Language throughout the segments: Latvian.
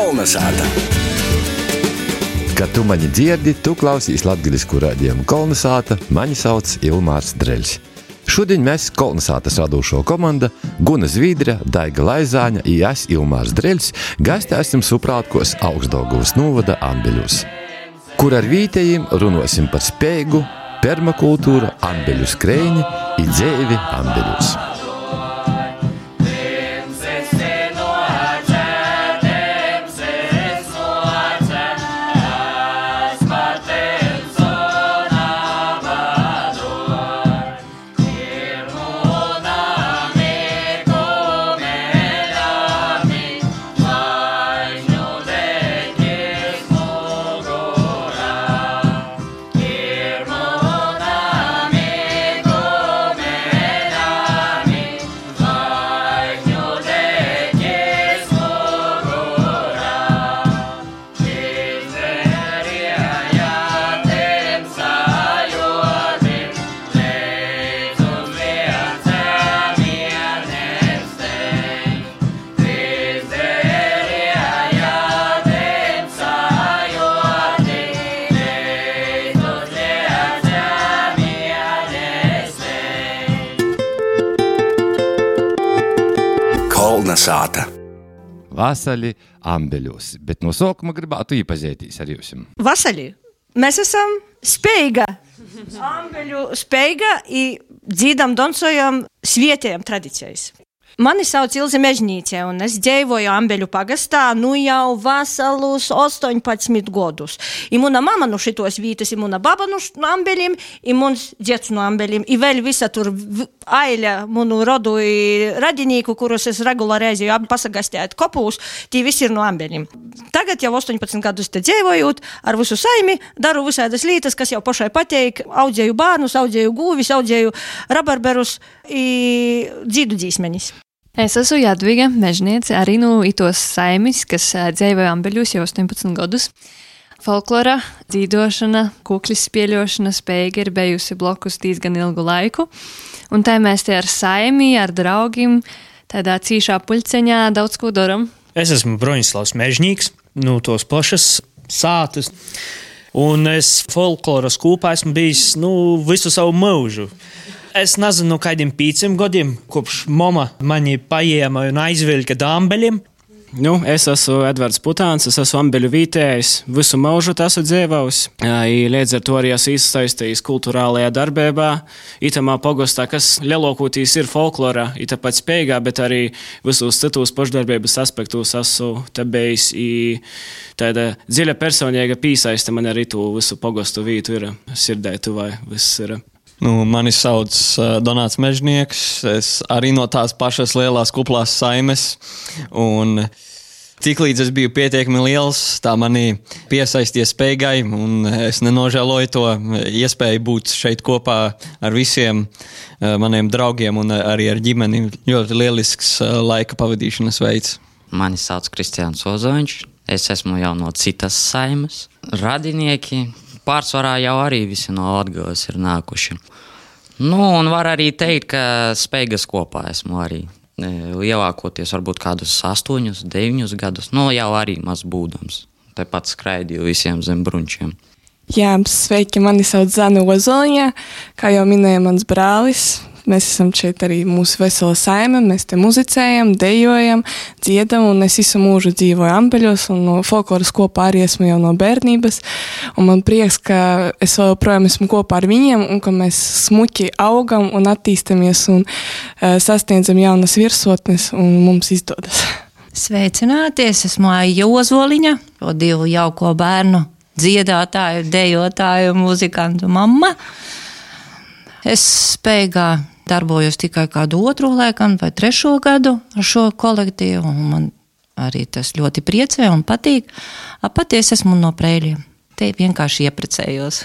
Kolnesāta. Kad tu mani dzirdi, tu klausīs latgaļisku raidījumu Kolnesāta, mani sauc Ilmārs Dreļs. Šodien mēs Kolnesātas radošo komanda Guna Zvīdra, Daiga Laizāņa i es Ilmārs Dreļs gaistēsim Suprātkos Augstdaugavas novada Ambeļos, kur ar vītējiem runosim par spēju, permakultūru, ambeļu skrēņi i dzēvi Ambeļos. Kolnesāta. Vasaļi Ambeļos, bet no sākuma gribētu iepazīties ar jums. Vasaļi, mēs esam spējīga, Ambeļu spējīga i dzīdam, dancojam svietējam tradicijas. Mani sauc Ilze Mežnīce, un es dzīvoju Ambeļu pagastā jau vasalus 18 gadus. I muna mama no šitos vītas, i muna baba no Ambeļiem, i muns dziets no Ambeļiem, i vēl visa tur aile munu rodu i radinīku, kurus es regulāri aizēju pasagastēt kopūs, tī visi ir no Ambeļiem. Tagad jau 18 gadus te dzīvojot, ar visu saimi, daru visādas lietas, kas jau pašai pateik, audzēju bērnus, audzēju gūvis, audzēju rabarberus i dzīdu dzīsmenis. Es esmu Jadviga Mežniece, arī no itos saimis, kas dzīvoja Ambeļos jau 18 gadus. Folklora, dzīdošana, kuklis spieļošana spēja ir bijusi blokus diezgan ilgu laiku. Un tā mēs te ar saimi, ar draugiem, tādā cīšā puļceņā daudz ko daram. Es esmu Broņislavs Mežņīgs, no tos pašas sātas. Un es folkloras kūpā esmu bijis visu savu mūžu. Es nezinu, kādiem 5 gadiem, kopš mama mani paēma un aizvilka da Ambeļiem. Es esmu Edvards Putāns, es esmu Ambeļu vītējs, visu mūžu esmu dzīvojis. Līdz ar to arī esmu iesaistījis kultūrālajā darbībā, itamā pogostā, kas lielākoties ir folklorā, tāpēc spējīgā, bet arī visos citos pašdarbības aspektos esmu te bijis. Tāda dziļa personīga piesaiste man arī to visu pogostu vītu ir sirdē tuvai, viss ir. Mani sauc Donāts Mežnieks, es arī no tās pašas lielās kuplās saimes, un tiklīdz es biju pietiekami liels, tā mani piesaisties spējai, un es nenožēloju to iespēju būt šeit kopā ar visiem maniem draugiem un arī ar ģimeni. Ļoti lielisks laika pavadīšanas veids. Mani sauc Kristiāns Ozoņš, es esmu jau no citas saimes. Radinieki pārsvarā jau arī visi no Latgales ir nākuši. Un var arī teikt, ka spējas kopā esmu arī. Lielākoties varbūt kādus 8, 9 gadus. Jau arī maz būdams. Tepat skraidīju visiem zem brunčiem. Jā, sveiki, mani sauc Zana Ozoliņa, kā jau minēja mans brālis. Mēs esam šeit arī mūsu vesela saime, mēs te muzicējam, dejojam, dziedam, un es visu mūžu dzīvoju Ambeļos, un no folkloras kopā arī esmu jau no bērnības, un man prieks, ka es vēl projām esmu kopā ar viņiem, un ka mēs smuki augam un attīstamies, un sasniedzam jaunas virsotnes, un mums izdodas. Sveicināties, esmu Aija Ozoliņa, 2 jauko bērnu dziedātāju, dejotāju, muzikantu mamma. Es spējīgā darbojos tikai kādu 2, laikam, vai 3 gadu ar šo kolektīvu, un man arī tas ļoti priecē un patīk. Patiesi esmu no Preiļiem. Te vienkārši ieprecējos.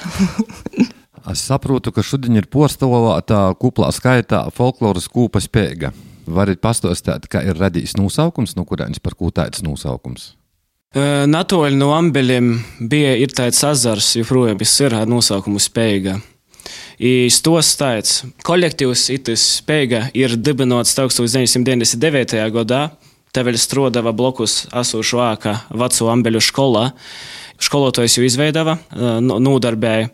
Es saprotu, ka šodien ir porstāvēta kuplā skaitā folkloras kūpa spēja. Varat pastāstīt, kā ir radījis nosaukums, no kurienes par ko tāds nosaukums? Natoļi no Ambeļiem ir tāds azars, joprojām ir ar nosaukumu spēja. Stos tāds kolektīvs itis spēja ir dibinots 1999. gadā, Te vēl strodava blokus esošu vāka veco ambeļu skolā. Školotājs jau izveidava, nodarbēja.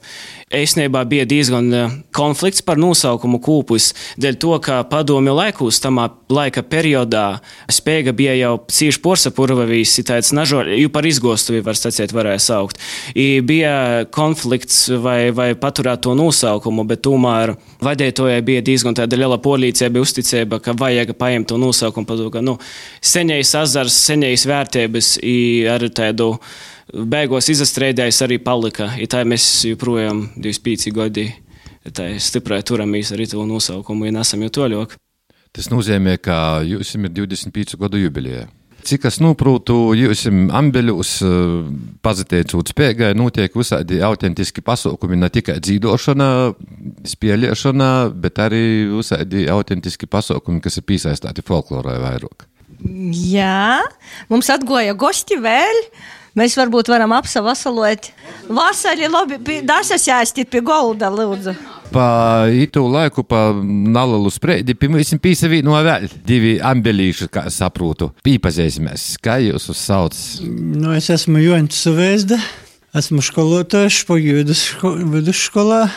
Īstenībā bija diezgan konflikts par nosaukumu kūpus, dēļ to, ka padomju laikos tamā laika periodā spēga bija jau cīši porsapurvavīs, tāds nažoļ, jau par izgostuvi, var sacīt, varēja saukt. I bija konflikts vai paturēt to nosaukumu, bet tomēr vadētojai bija diezgan tāda liela polīcība, uzticība, ka vajag paņemt to nosaukumu, ka, seņais azars, seņais vērtības i ar tādu beigos izastrēdējis arī palika. I tā mēs joprojām 25 gadi tā stiprai turamies arī to nosaukumu, ja nesam jau toļok. Tas nozīmē, ka jūs ir 25 gadu jubilejā. Cik es noprūtu, jūs ambeļus pazateicot spēgai, notiek visādi autentiski pasaukumi, ne tikai dzīdošana, spēlēšana, bet arī visādi autentiski pasaukumi, kas ir pīsaistāti folklorai vairāk. Jā, mums atgoja gosti vēl. Mēs varbūt varam apsavasalot. Vasarī labi, dasas jāstīt pie golda, lūdzu. Pa itu laiku, pa nalalu spreidi, pirmīsim pīsavīno vēl 2 ambelīši, kā es saprūtu. Pīpazīsimies, kā jūs uzsauc? Es esmu Joņs Suvēzda, esmu školotājs vidusskolā.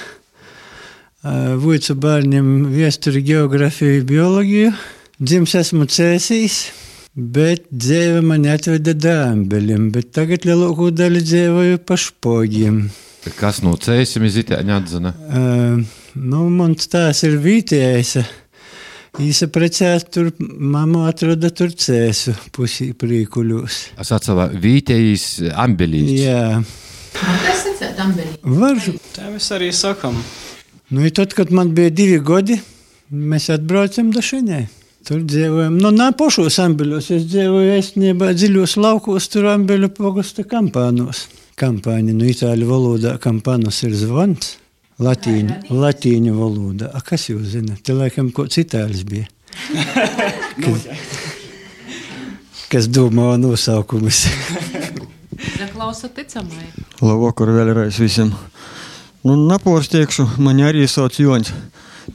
Vuicu bērniem viesturi, geografiju, biologiju. Dzims esmu Cēsīs. Bet dzīve mani atveda dāmbeļiem, bet tagad lielāko daļu dzīvoju pa Špogiem. Kas no Cēsim izitēņa atzina? Mans tās ir Vītējs. Īsa precēs tur, mamma atroda tur Cēsu pusī prīkuļos. Es atsavā Vītējs ambelīs. Jā. Tas sacēt ambelī? Var. Tā mēs arī sakam. Tad, kad man bija 2 gadi, mēs atbraucam da šeņai. Tur dzīvojam. Nā pošos ambeļos. Es dzīvoju īstenībā dziļos laukos, tur ambeļu pogusta kampānos. Kampāni, itāļu valodā kampānos ir zvons. Latīņu valodā. Kas jūs zina? Te laikam kods itāļs bija. Kas domā nosaukumus. Zaklausa ticamai. Labvakar vēlreiz visiem. Naporstiekšu, mani arī sauc Joņs.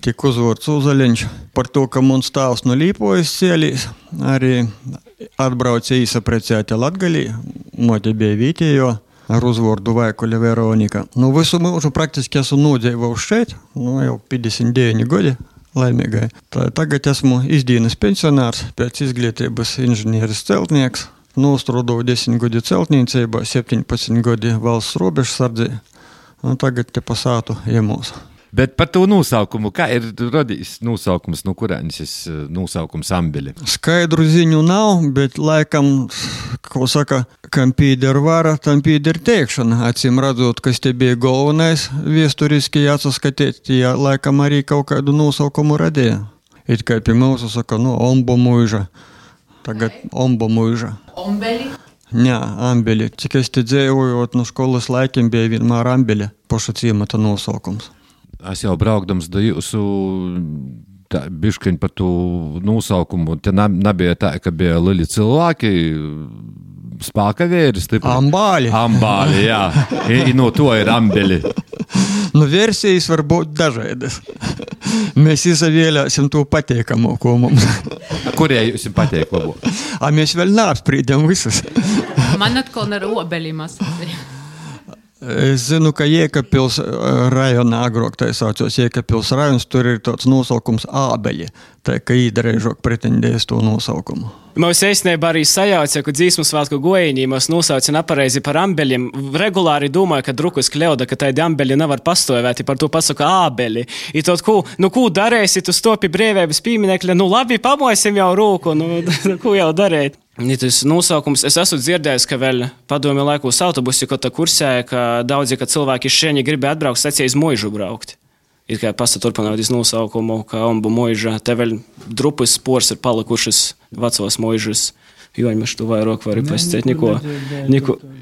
Tik uzvārds Uzaļiņš par to, ka mums tāvs no Līpojas cielīs, arī atbrauca īsa precēti Latgalī, mote bija Vītējo, ar uzvārdu Vaikuļa Veronika. Visu mūžu praktiski esmu nodzīvojis šeit, jau 59 gadi, laimīgai. Tagad esmu izdienas pensionārs, pēc izglītības inženieris celtnieks, nostrādāju 10 gadi celtniecībā, 17 gadi valsts robežsardzē, tagad te pasātu iemūs. Bet par to nosaukumu, kā ir radījis nosaukums, no kurēnis nosaukums ambeli? Skaidru ziņu nav, bet laikam, ko saka, kam pīder vara, tam pīder teikšana. Acīm redzot, kas te bija galvenais viesturiski jāsaskatīt, ja laikam arī kaut kādu nosaukumu radīja. It kā pie mūsu saka, ombo muiža. Tagad ombo muiža. Ombeli? Jā, ambeli. Cik es te dzēvojot no skolas laikiem bija vienmēr ambeli, poša ciemata nosaukums. Es jau braukdams da jūsu biškiņ par to nosaukumu. Te nebija tā, ka bija lieli cilvēki, spāka vēri stipri. Ambāļi. Ambāļi, jā. I no to ir ambeli. Versijas var būt dažādas. Mēs izvēlēsim to patīkamāko mums. Kurie jūs patīk labāk? Mēs vēl neapsprīdam visus. Man atkal ar obeļiem asociē. Es zinu, ka Jēkabpils rajonā agrāk tā saucos Jēkabpils rajons, tur ir tāds nosaukums ābeļi, tā ka īdareižok pretendēs to nosaukumu. Mums īstenībā arī sajauca, ka dzīsmu svētku gojiņī mums nosauca nepareizi par ambeļiem. Regulāri domāju, ka drukus kļauda, ka tādi ambeļi nevar pastāvēt, par to pasaka ābeļi. I tot, ko darēsi, tu stopi brīvības pieminekļa, labi, pamosim jau rūku, ko jau darēt. Tas nosaukums, es esmu dzirdējis, ka vēl padomju laikos autobusi, ko tā kursēja, ka daudzi, ka cilvēki šeit gribēja atbraukt, sacīja iz Moižu braukt. It kā pasaturpināt iz nosaukumu, ka ombu Moiža, te vēl drupas spors ir palikušas vecos Moižas. Joņ, mēs tu vairāk vari pasciet, niko.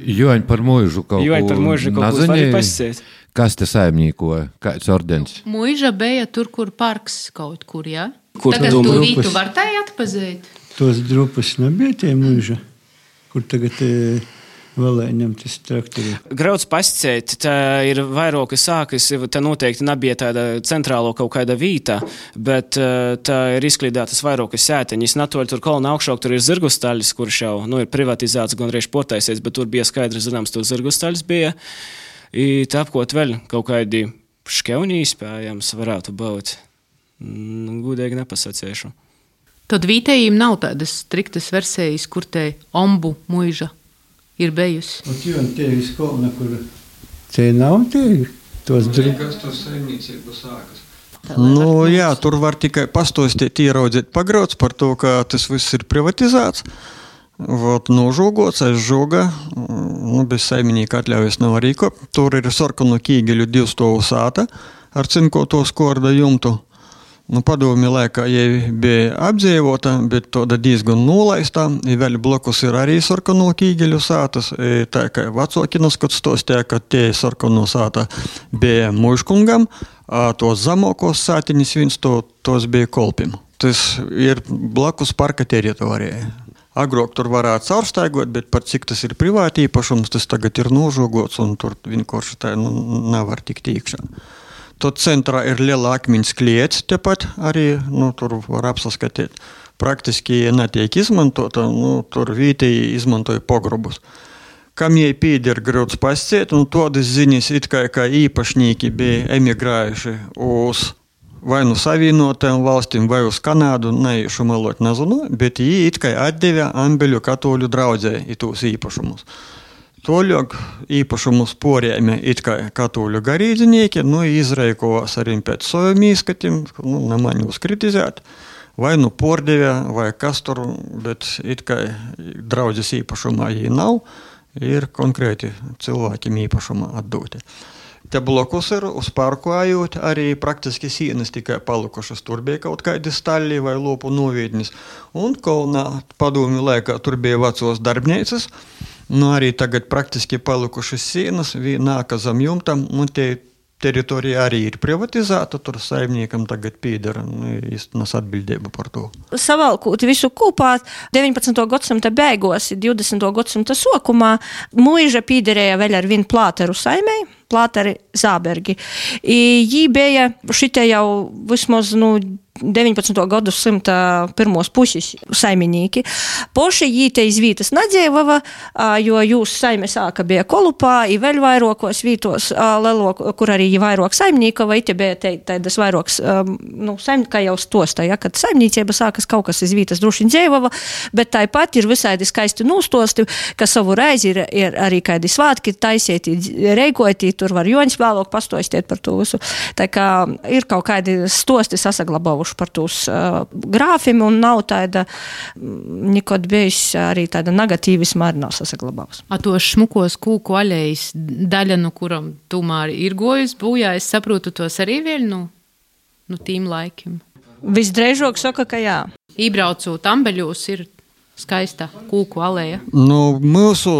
Joņ par Moižu kaut ko vari pasciet. Kas te saimnīkoja? Kāds ordens? Moiža bija tur, kur parks kaut kur, jā? Kur tagad tu rītu var tai atpazīt? Tos drupas nebija tie muiža, kur tagad valēņam tas traktori. Grauds pascēt, tā ir vairāki sākas, tā noteikti nebija tāda centrālo kaut kāda vīta, bet tā ir izklīdētas vairākas sēteņas. Natoļ tur kolona augšāk, tur ir zirgustaļas, kurš jau, ir privatizēts, gan reiz portaisies, bet tur bija skaidri zināms, tur zirgustaļas bija. I tāpkot vēl kaut kādi škeunī iespējams varētu būt. Gudīgi nepasacēšu. Tad vītējiem nav tādas striktas versijas, kur te ombu muiža ir bejusi. Un jo te ir skolna, kur te nav te tos Kas tur saimniecību sākas? Jā, tur var tikai pastostīt, ieraudzīt pagrauds par to, ka tas viss ir privatizēts. Nožogots, aizžoga, bez saimnieka atļaujas nav arī ko. Tur ir sarkanu kīgeļu 2 stāvu sāta ar cinkoto skorda jumtu. Padomju laikā jai bija apdzīvota, bet tāda diezgan nolaistā. Vēl blokus ir arī sarkanu kīgeļu sātas. Tā kā vecākinas, kad stostēja, ka tie sarkanu sāta bija muiškungam, tos zamokos sātiņas viens tos bija kolpim. Tas ir blokus parka teritorijai. Agrāk tur varētu caurstaigot, bet par cik tas ir privāti īpašums, tas tagad ir nožogots un tur vienkārši tā nevar tikt iekšā. Tot centrā ir liela akmeņas kliets tepat arī, tur var apsaskatīt. Praktiski netiek izmantota, tur vietēji izmantoja pogrobus. Kam jai pīder grauds pasciet, todas ziņas it kā īpašnieki bija emigrējuši uz vai savienotajām valstīm, vai uz Kanādu, neiešu melot nezinu, bet jī it kā atdeva Ambeļu katoļu draudzē itūs īpašumus. Toļok īpašumus porējami it kā katoļu garīdzinieki, izreikovās arī pēc saviem īskatim, nemaņu uzkritizēt, vai pordevē, vai kas tur, bet it kā draudzes īpašumā jī nav, ir konkrēti cilvēkiem īpašumā atdoti. Te blokus ir uz parku ājot, arī praktiski sienas tikai palikušas, tur bija kaut kādi staļļi vai lopu novietnis, un Kolnā padomju laikā tur bija vecos darbnīcas. Arī tagad praktiski palikušas sienas, nāka zem jumtam, te teritorija arī ir privatizēta, tur saimniekam tagad pīdara, īstenas atbildība par to. Savalkūt visu kopā 19. gadsimta beigos, 20. gadsimta sokumā, muiža pīderēja vēl ar vienu plāteru saimei, plāteri Zābergi. Jī bija šitie jau vismaz, 19. gadsimta pirmos puses saimnieki. Poši jī te iz vītas nadzēvava, jo jūs saime sāka bija Kolupā, i vēl vairokos vītos, kur arī jī vairok saimnieka, vai te bija taidas vairoks, kā jau stosta, kad saimniecība sākas kaut kas iz vītas drušiņ dzēvava, bet tāpat ir visādi skaisti nūstosti, ka savu reizi ir arī kādi svātki taisieti, reikoti, tur var Joņs vēlāk pastostiet par to visu. Tā kā ir kaut kādi stosti sasaglabovuši par tūs grāfim, un nav tāda nekad bijis arī tāda negatīvisma arī nav sasaglabāvus. A tos šmukos kūku aļejas daļa, kuram tomēr ir gojas būjā, es saprotu tos arī vēl, tīm laikiem. Visdreižāk saka, ka jā. Ībraucot Ambeļos ir skaista kūku aleja. Mūsu,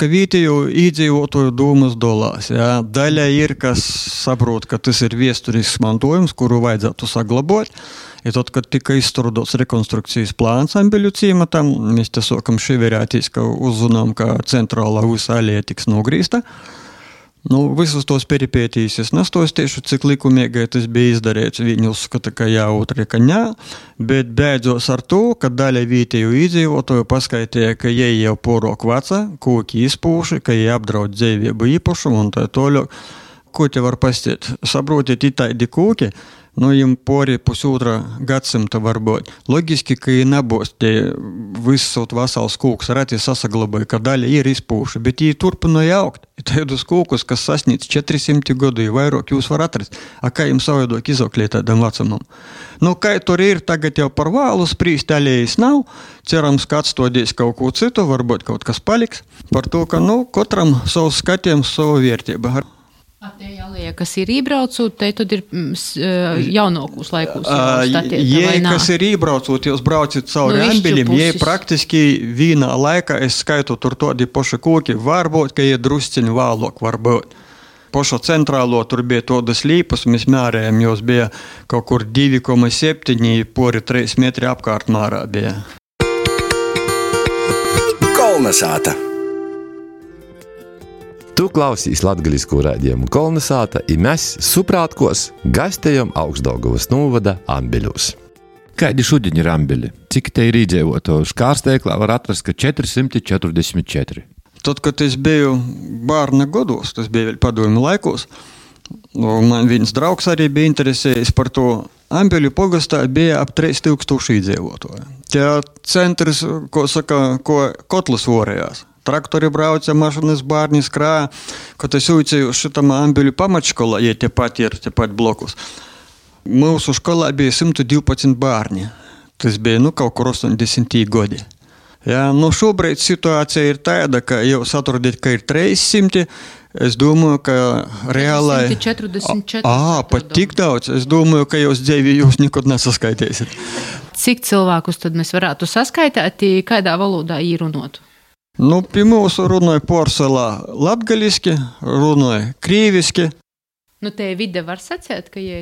vietējo iedzīvotāju domas dolās. Jā. Daļa ir, kas saprot, ka tas ir vēsturisks mantojums, kuru vajadzētu saglabāt. I tad, kad tika izstrādāts rekonstrukcijas plāns Ambeļu ciematam, mēs te sākam ševerēties, ka uzzinām, ka centrālā visa aleja tiks nogrīsta. Visus tos peripētīs es nestostiešu, cik likumīgai tas bija izdarīts. Viņi uzskata, ka jā, otri, ka nē, bet beidzos ar to, ka daļa vietēju iedzīvotāju paskaitīja, ka jie jau porok veca, kūki izpūši, ka jie apdraud dzīvību īpašumu un tā toļok. Ko te var pastiet? Saprotiet, itādi kūki, jim pori pusotra gadsimta varbūt. Logiski, ka jie nebūs tie visot vasals kūks, rati sasaglabāja, ka daļa ir izpūši, bet jie turpināja augt. Tādus kūkus, kas sasniedz 400 gadu, vairāk jūs var atrast. Kā jums savādāk izauklēt tādam vecumam? Kā tur ir, tagad jau par vālu sprīst, alejas nav. Cerams, ka atstodīs kaut ko citu, varbūt kaut kas paliks. Par to, ka, katram savus skatījums, savu vērtību. Te aleja, kas ir ībraucot, te tad ir jaunākos laikos statieta, vai nā? Kas ir ībraucot, jūs braucat cauri Ambeļiem, jei praktiski vienā laikā, es skaitu tur tādi poši kūki, varbūt, ka jie drusciņi vēlāk varbūt. Poša centrālo tur bija tādas līpas, mēs mērējam, jos bija kaut kur 2,7, pori 3 metri apkārt mārā bija. Kolnesāta. Tu klausīs latgaliskū raidījumu Kolnesāta, i mēs suprātkos gastējam Augstdaugavas novada Ambeļos. Kādi šodien ir Ambeļi? Cik te ir iedzīvoto? Škārsteiklā var atrast, ka 444. Tad, kad es biju bērna gados, tas bija vēl padomju laikos, man viens draugs arī bija interesējis par to. Ambeļu pogastā bija ap 3000 iedzīvotāju. Tie centrs, ko kotlas vorējās. Traktori brauca, mašinas bērni skrāja, kad es uicēju šitam Ambeļu pamatškolā, ja tepat blokus. Mūsu školā bija 112 bērni. Tas bija, kaut kur 80 gadi. Ja, šobrīd situācija ir tāda, ka jūs atrodat, ka ir 300, es domāju, ka reālai... 144. Pat tik daudz. Es domāju, ka jūs dzīvi nekad nesaskaitēsiet. Cik cilvēkus tad mēs varētu saskaitīt, kādā valodā īrunotu? Pie mūsu runāja porcelā latgaliski, runāja krīviski. Te vide var sacēt, ka jie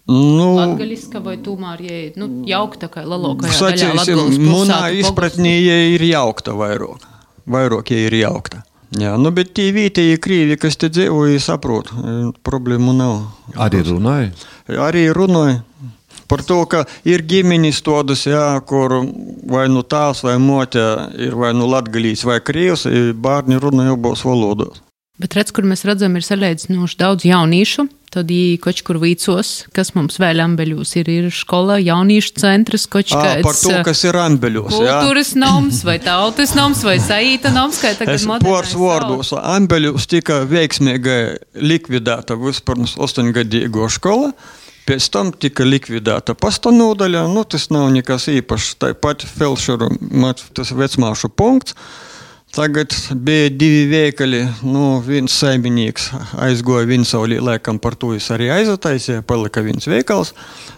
latgaliska vai tomēr jie jaukta, kā lalokajā daļā Latgales pilsētu? Munā izpratnī jie ir jaukta vairāk. Vairāk jie ir jaukta. Jā, bet tie vietējie krīvi, kas te dzīvoja, saprot, problēmu nav. Arī runāja? Arī runāja. Par to, ka ir ģimenis todas, kur vai tās vai mote ir vai latgalīs vai krievs, bērni runāja abos valodos. Bet redz, kur mēs redzam, ir salīdzinoši daudz jaunīšu, tad kaut kur vīcos, kas mums vēl Ambeļos ir škola, jauniešu centrs, kaut kāds... Par to, kas ir Ambeļos, kultūras noms, vai tautas noms, vai saīta noms, kā tagad modernais. Pors vārdos, Ambeļos tika veiksmīgi likvidēta vispirms 8-gadīgo škola, pēc tam tika likvidēta pasta nodaļa, tas nav nekas īpašs, tāpat felšeru, tas vecmāšu punkts. Tagad bija 2 veikali, viens saimnieks aizgoja Vinsaulī, laikam par to es arī aizataisīju, palika viens veikals.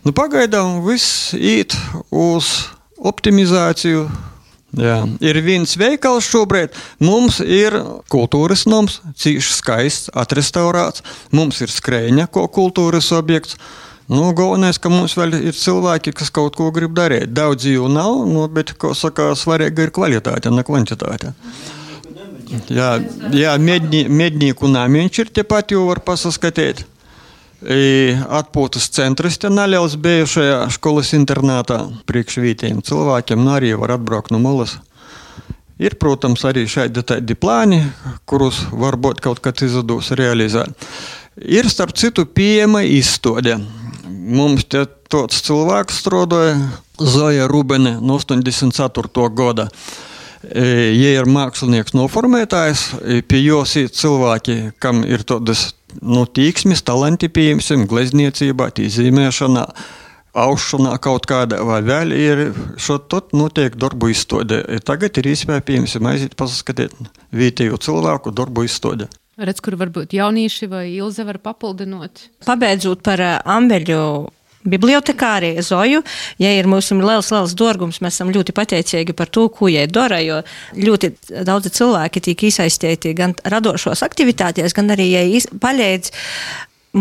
Pagaidām viss īt uz optimizāciju. Jā. Ir viens veikals šobrīd, mums ir kultūras noms, cīši skaists, atrestaurāts, mums ir skrēņa, ko kultūras objekts. Galvenais, ka mums vēl ir cilvēki, kas kaut ko grib darīt. Daudz jau nav, bet, svarīga ir kvalitāte, ne kvantitāte. Jā, mednieku namiņš ir tepat jau var pasaskatīt. Atpūtas centrs te neliels bijušajā školas internātā priekš vietējiem cilvēkiem, arī var atbraukt no malas. Ir, protams, arī šādi tādi plāni, kurus varbūt kaut kad izdodas realizēt. Ir, starp citu, pieejama izstāde. Mums te tāds cilvēks strādāja, Zoja Rubene, no 84. gada. Jie ir mākslinieks noformētājs, pie jos ir cilvēki, kam ir tādas tīksmes, talanti pieņemsim, glezniecībā, tīzīmēšanā, aušanā kaut kāda, vai vēl ir šot notiek darbu izstāde. Tagad ir iespēja pieņemsim aiziet pasaskatīt vietējo cilvēku darbu izstāde. Redz, kur varbūt jaunieši vai Ilze var papildinot. Pabeidzot par Ambeļu bibliotekāri Zoju, ja ir mūsu liels dorgums, mēs esam ļoti pateicīgi par to, ko jai dara, jo ļoti daudzi cilvēki tiek iesaistīti gan radošos aktivitātēs, gan arī jai palīdz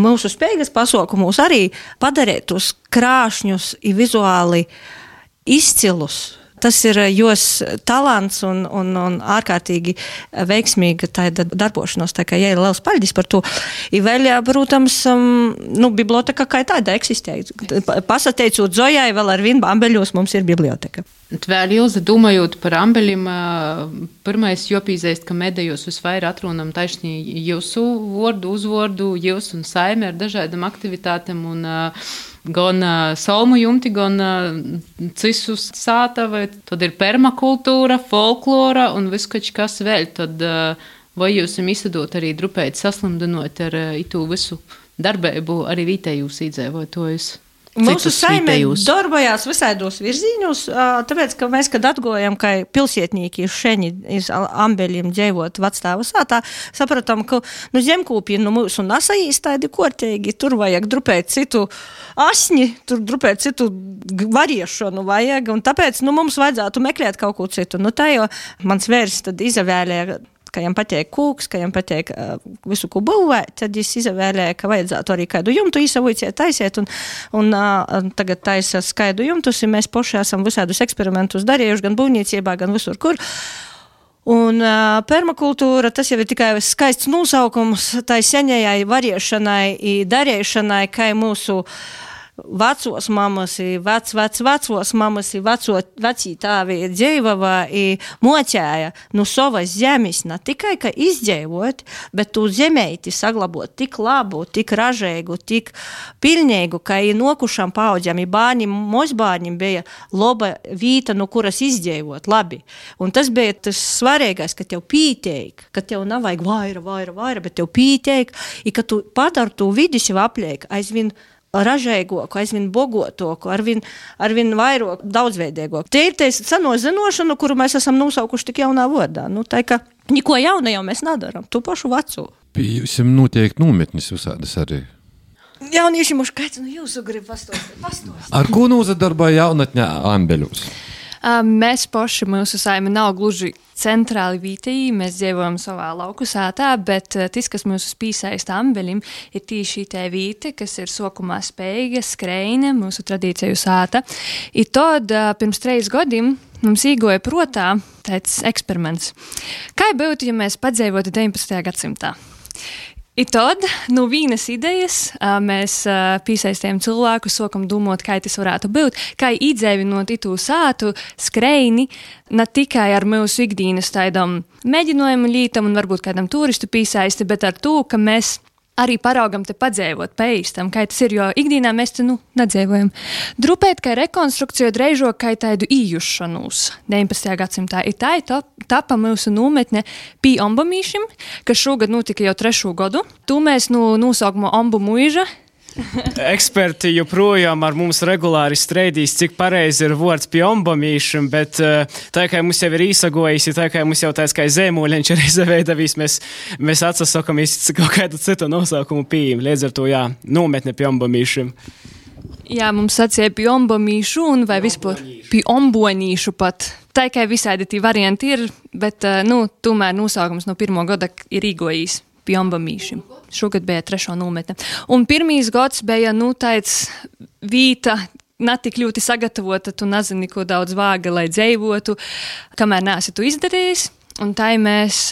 mūsu spējas pasaukumus arī padarīt tos krāšņus un vizuāli izcilus. Tas ir jos talants un ārkārtīgi veiksmīga tāda darbošanos, tā kā jai ir liels paļģis par to. I vēl, protams, biblioteka kā tāda eksistē. Pasateicot Zojai, vēl ar vienu Ambeļos mums ir biblioteka. Vēl, Ilze, domājot par Ambeļiem, pirmais jopīzēst, ka medējos visvairāk atrunam taisnī jūsu vordu, uzvordu, jūs un saime ar dažādām aktivitātēm un gan salmu jumti, gan cisus sātavi, tad ir permakultūra, folklora un viskač kas vēl. Tad vai jūs izsadot arī drupēt saslimdinot ar itu visu darbību arī vietējos iedzīvotājus? Mūsu saime darbojās visādos virzīņos, tāpēc, ka mēs, kad atgojam, ka pilsietnīki šeņi iz Ambeļiem dzīvot vecstāvu sātā, sapratam, ka zemkūpji mūsu nasajīs tādi kortīgi, tur vajag drupēt citu asņi, tur drupēt citu variešanu vajag, un tāpēc mums vajadzētu meklēt kaut ko citu. Tā jau mans vērs tad izavēlēja, ka jām patīk kūks, ka jām patīk visu, ko būvēt, tad es izavēlēju, ka vajadzētu arī kādu jumtu īsavoiciet taisiet, un tagad taisa skaidu jumtus, un mēs poši esam visādus eksperimentus darījuši, gan būvniecībā, gan visur, kur. Un permakultūra, tas jau ir tikai skaists nosaukums tai seņajai variešanai, darīšanai, kā mūsu vecos mamas, vecos mamas, vecī tāvi dzīvava mocēja no savas zemes, ne tikai, ka izdzīvot, bet tu zemeiti saglabot tik labu, tik ražīgu, tik pilnīgu, ka nokušam paudzēm, bērnim, mozbērnim bija laba vīta, no kuras izdzīvot labi. Un tas bija tas svarīgais, ka tev pīteik, ka tev nav vajag vaira, bet tev pīteik, ka tu padar tu vidi sev apliek, aizvien ražīgāku, aizvien bogotāku, arvien vairāk daudzveidīgāku. Tie ir tie seno zinošanu, kuru mēs esam nosaukuši tik jaunā vārdā. Nu, tā kā neko jauna jau mēs nedaram, tu pašu veco. Pie jums notiek nometnis visādas arī. Jaunieši mums kāds, jūsu grib pastostīt. Ar ko nozadarboja jaunatņā Ambeļos? Mēs paši, mūsu saime nav gluži centrāli vītī, mēs dzīvojam savā lauku sātā, bet tas, kas mūsu pīsaista Ambeļim, ir tīši tā vīte, kas ir sokumā spēja, skreine, mūsu tradīciju sāta. I tad pirms 3 gadiem mums īgoja protā tāds eksperiments. Kā būtu, ja mēs padzīvotu 19. gadsimtā? I tad, no vienas idejas, mēs piesaistījām cilvēku, sokam domāt, kā tas varētu būt, kā iedzēvinot itū sātu, skreini, ne tikai ar mūsu ikdienas tādam mēģinājumu lītam un varbūt kādam turistu piesaisti, bet ar to, ka mēs arī paraugam te padzēvot, paīstam, kā tas ir, jo ikdienā mēs te, nedzēvojam. Drupēt, kā rekonstrukcija dreižo, kā tādu ījušanos 19. gadsimtā. Ir tā tapa mūsu nometne pie Ombamīšim, kas šogad notika jau 3. gadu. Tu mēs nosaukumu Ombu muiža. Eksperti joprojām ar mums regulāri streidīs, cik pareizi ir vārds pie ombamīšiem, bet tā kā mums jau ir īsagojis, tā kā mums jau tāds kā zēmoļiņš ir izveidavīs, mēs atsasakamies kaut kādu citu nosaukumu pieejam. Līdz ar to, jā, nometne pie ombamīšiem. Jā, mums sacīja pie ombamīšu un vai vispār pie ombonīšu pat. Tā kā visādi tī varianti ir, bet, tomēr nosaukums no 1. gada ir īgojīs. Pie Ombamīšiem. Šogad bija 3. nometne. Un 1. gads bija, tāds vīta, ne tik ļoti sagatavota, tu nezini, ko daudz vāga, lai dzeivotu, kamēr neesi tu izdarījis. Un tā mēs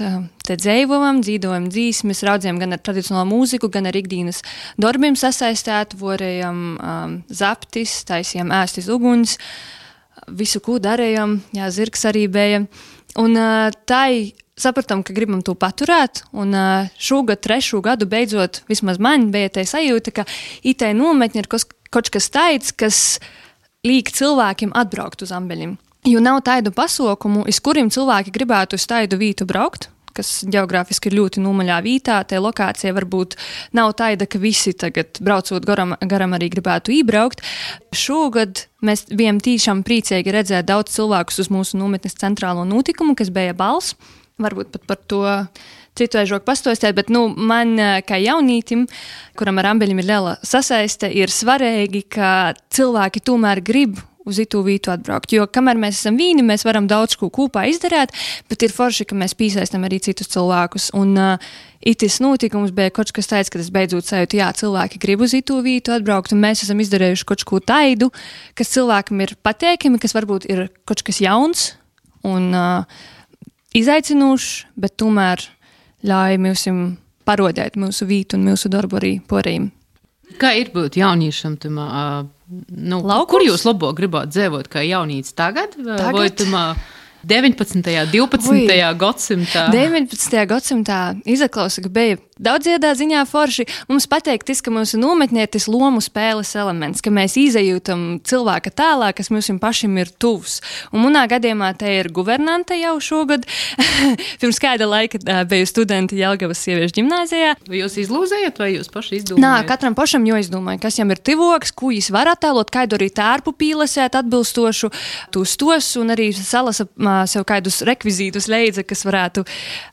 te dzeivojam, dzīdojam dzīsmes, raudzējam gan ar tradicionālo mūziku, gan ar ikdienas darbiem sasaistēt, vorējam zaptis, taisījām ēstis uguns, visu, ko darējam, jā, zirgs arī bija. Un tai sapratam, ka gribam to paturēt, un šogad 3. gadu beidzot, vismaz man bija tā sajūta, ka itai nometņi ir kaut kas tāds, kas liek cilvēkiem atbraukt uz Ambeļiem. Jo nav tādu pasaukumu, iz kuriem cilvēki gribētu uz tādu vītu braukt, kas geogrāfiski ir ļoti nomaļā vītā, tā lokācija varbūt nav tāda, ka visi tagad braucot garam arī gribētu iebraukt. Šogad mēs bijām tīšām priecīgi redzēt daudz cilvēkus uz mūsu nometnes centrālo notikumu, kas bija bals. Varbūt pat par to citu aižoku pastostēt, bet man kā jaunītim, kuram ar Ambeļiem ir liela sasaiste, ir svarīgi, ka cilvēki tomēr grib uz itū vītu atbraukt. Jo kamēr mēs esam vīni, mēs varam daudz ko kopā izdarīt, bet ir forši, ka mēs piesaistam arī citus cilvēkus. Un itis notikums bija kaut kas tāds, ka tas beidzot sajūta, jā, cilvēki grib uz itū vītu atbraukt, un mēs esam izdarījuši kaut ko taidu, kas cilvēkam ir pateikami, kas varbūt ir kaut kas jauns un izaicinošs, bet tomēr ļauj mums parodēt mūsu vītu un mūsu darbu arī porējiem. Kā ir būt jauniešam tamā, kur jūs labāk gribāt dzīvot kā jaunīts tagad? Vai tamā 19. 12. gadsimtā? 19. gadsimtā izaklausa, ka bija daudziedā ziņā forši. Mums pateikt, ka mūsu nometnē ir tas lomu spēles elements, ka mēs izjūtam cilvēka tēlā, kas mums pašiem ir tuvs. Un manā gadījumā te ir guvernante jau šogad. Pirms kāda laika biju studenti Jelgavas sieviešu ģimnāzijā. Vai jūs izlūzējat, vai jūs paši izdomājat? Nā, katram pašam jāizdomāja, kas jam ir tivoks, ko jūs var attēlot, kādu arī tērpu pīlesēt atbilstošu tos un arī salasa sev kādus rekvizītus leidza, kas varētu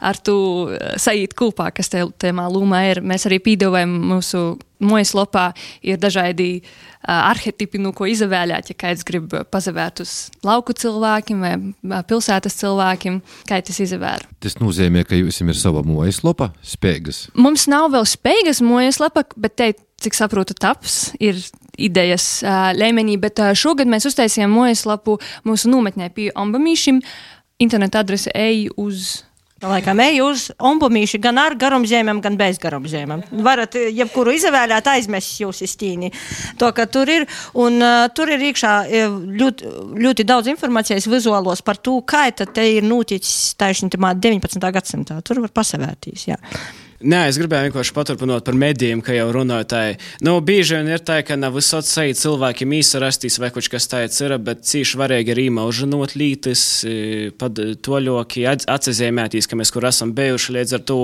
ar to saīt kopā, kas tēmā lūmā ir. Mēs arī pīdovējam mūsu mājaslapā, ir dažādi arhetipi, no ko izavēlēt, ja kāds grib pazavērt uz lauku cilvēkiem vai pilsētas cilvēkiem, kā tas izavēr. Tas nozīmē, ka jums ir sava mājaslapa, Speigas? Mums nav vēl Speigas mājaslapa, bet te, cik saprotu, taps ir idejas līmenī, bet šogad mēs uztaisījām mājaslapu mūsu nometnē pie Ombamīšiem interneta adrese ej uz... Laikam ej uz ombumīši gan ar garumzīmēm, gan bez garumzīmēm. Varat jebkuru izvēlēt, aizmest jūs iztīni. To, ka tur ir, un tur ir iekšā ļoti daudz informācijas vizuālos par to, kā tad te ir noticis taišņi 19. gadsimtā. Tur var pasavērtīs, jā. Nē, es gribēju vienkārši paturpinot par medijiem, ka jau runāju tā. Bieži vien ir tā, ka nav visot sajūt cilvēkiem īsarastīs vai kaut kas tāds ir, bet cīši varīgi ir īmaužinot lītis, pad toļoki, atsazīmētīs, ka mēs kur esam bijuši līdz ar to.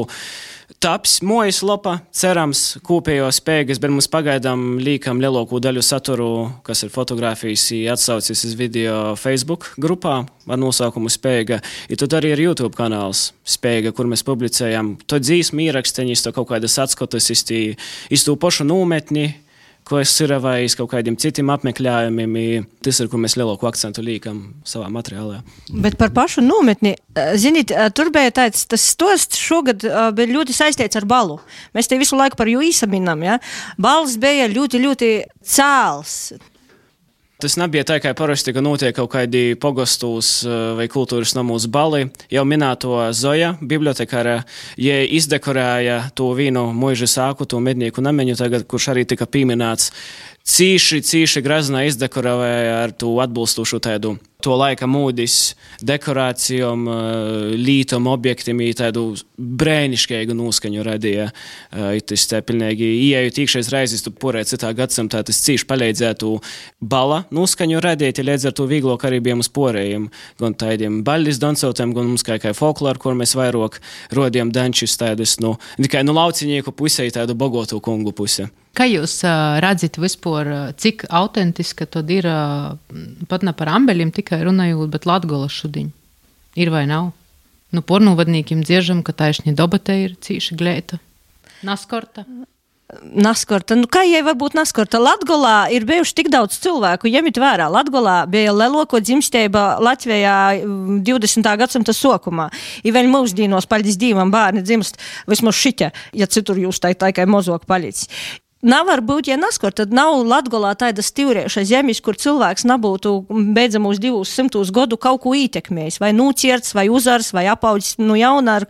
Taps mojas lopa, cerams, kopējo spējas, bet mums pagaidām līkam lielāko daļu saturu, kas ir fotografijas, atsaucis uz video Facebook grupā ar nosaukumu Spēja. I tad arī ir YouTube kanāls Spēja, kur mēs publicējam to dzīsmu īraksteņus, to kaut kādas atskatas iz to pašu nometni, ko es ir vai iz kaut kādiem citiem apmeklējumiem. Tas ir, kur mēs lielāku akcentu līkam savā materiālā. Bet par pašu nometni, zinīt, tur bija tāds, tas stosts šogad bija ļoti saistīts ar balu. Mēs te visu laiku par jū īsaminam, ja? Bals bija ļoti, ļoti cēls. Tas nebija tā, kā parasti, ka notiek kaut kādi pogostūs vai kultūras namūs bali. Jau minēto Zoja, bibliotekāra, ja izdekorēja to vīnu muiža sāku, to mednieku nameņu tagad, kurš arī tika pieminēts. Cīši graznā izdekorēja ar to atbilstošu tādu to laika mūdis, dekorācijom, lītom, objektiem, tādu brēniškēgu noskaņu radīja. Tas tā pilnīgi ieejot iekšais reizes, tu porē citā gadsimtā, tas cīši palīdzētu bala noskaņu radīt, līdz ar to vīglok arī bijām uz porējiem, gan tādiem baļļis dancotiem, gan mums kā folkloru, kur mēs vairāk rodījām dančus tādus, tikai laucinieku pusē, tādu bogotu kungu pusē. Kā jūs redzat vispār, cik autentiska tad ir, pat ne par ambeļiem tikai runājot, bet Latgola šudiņ? Ir vai nav? Pornūvadnīkiem dziežam, ka taišņi dobate ir cīši glēta. Naskorta? Naskorta. Kā jai var būt naskorta? Latgolā ir bijuši tik daudz cilvēku, ņemiet vērā. Latgolā bija lielāko dzimstība Latvijā 20. gadsimta sokumā. I vēl mūsdīnos, paļdis Dīvam, bērni dzimst vismaz šiķa, ja citur jūs tā kā mozok paļicis. Nav var būt, ja naskor, tad nav Latgolā tāda stivrieša zemis, kur cilvēks nebūtu beidzamos 200 gadu kaut ko ietekmējis, vai nūcierts, vai uzars, vai apaudzis jauna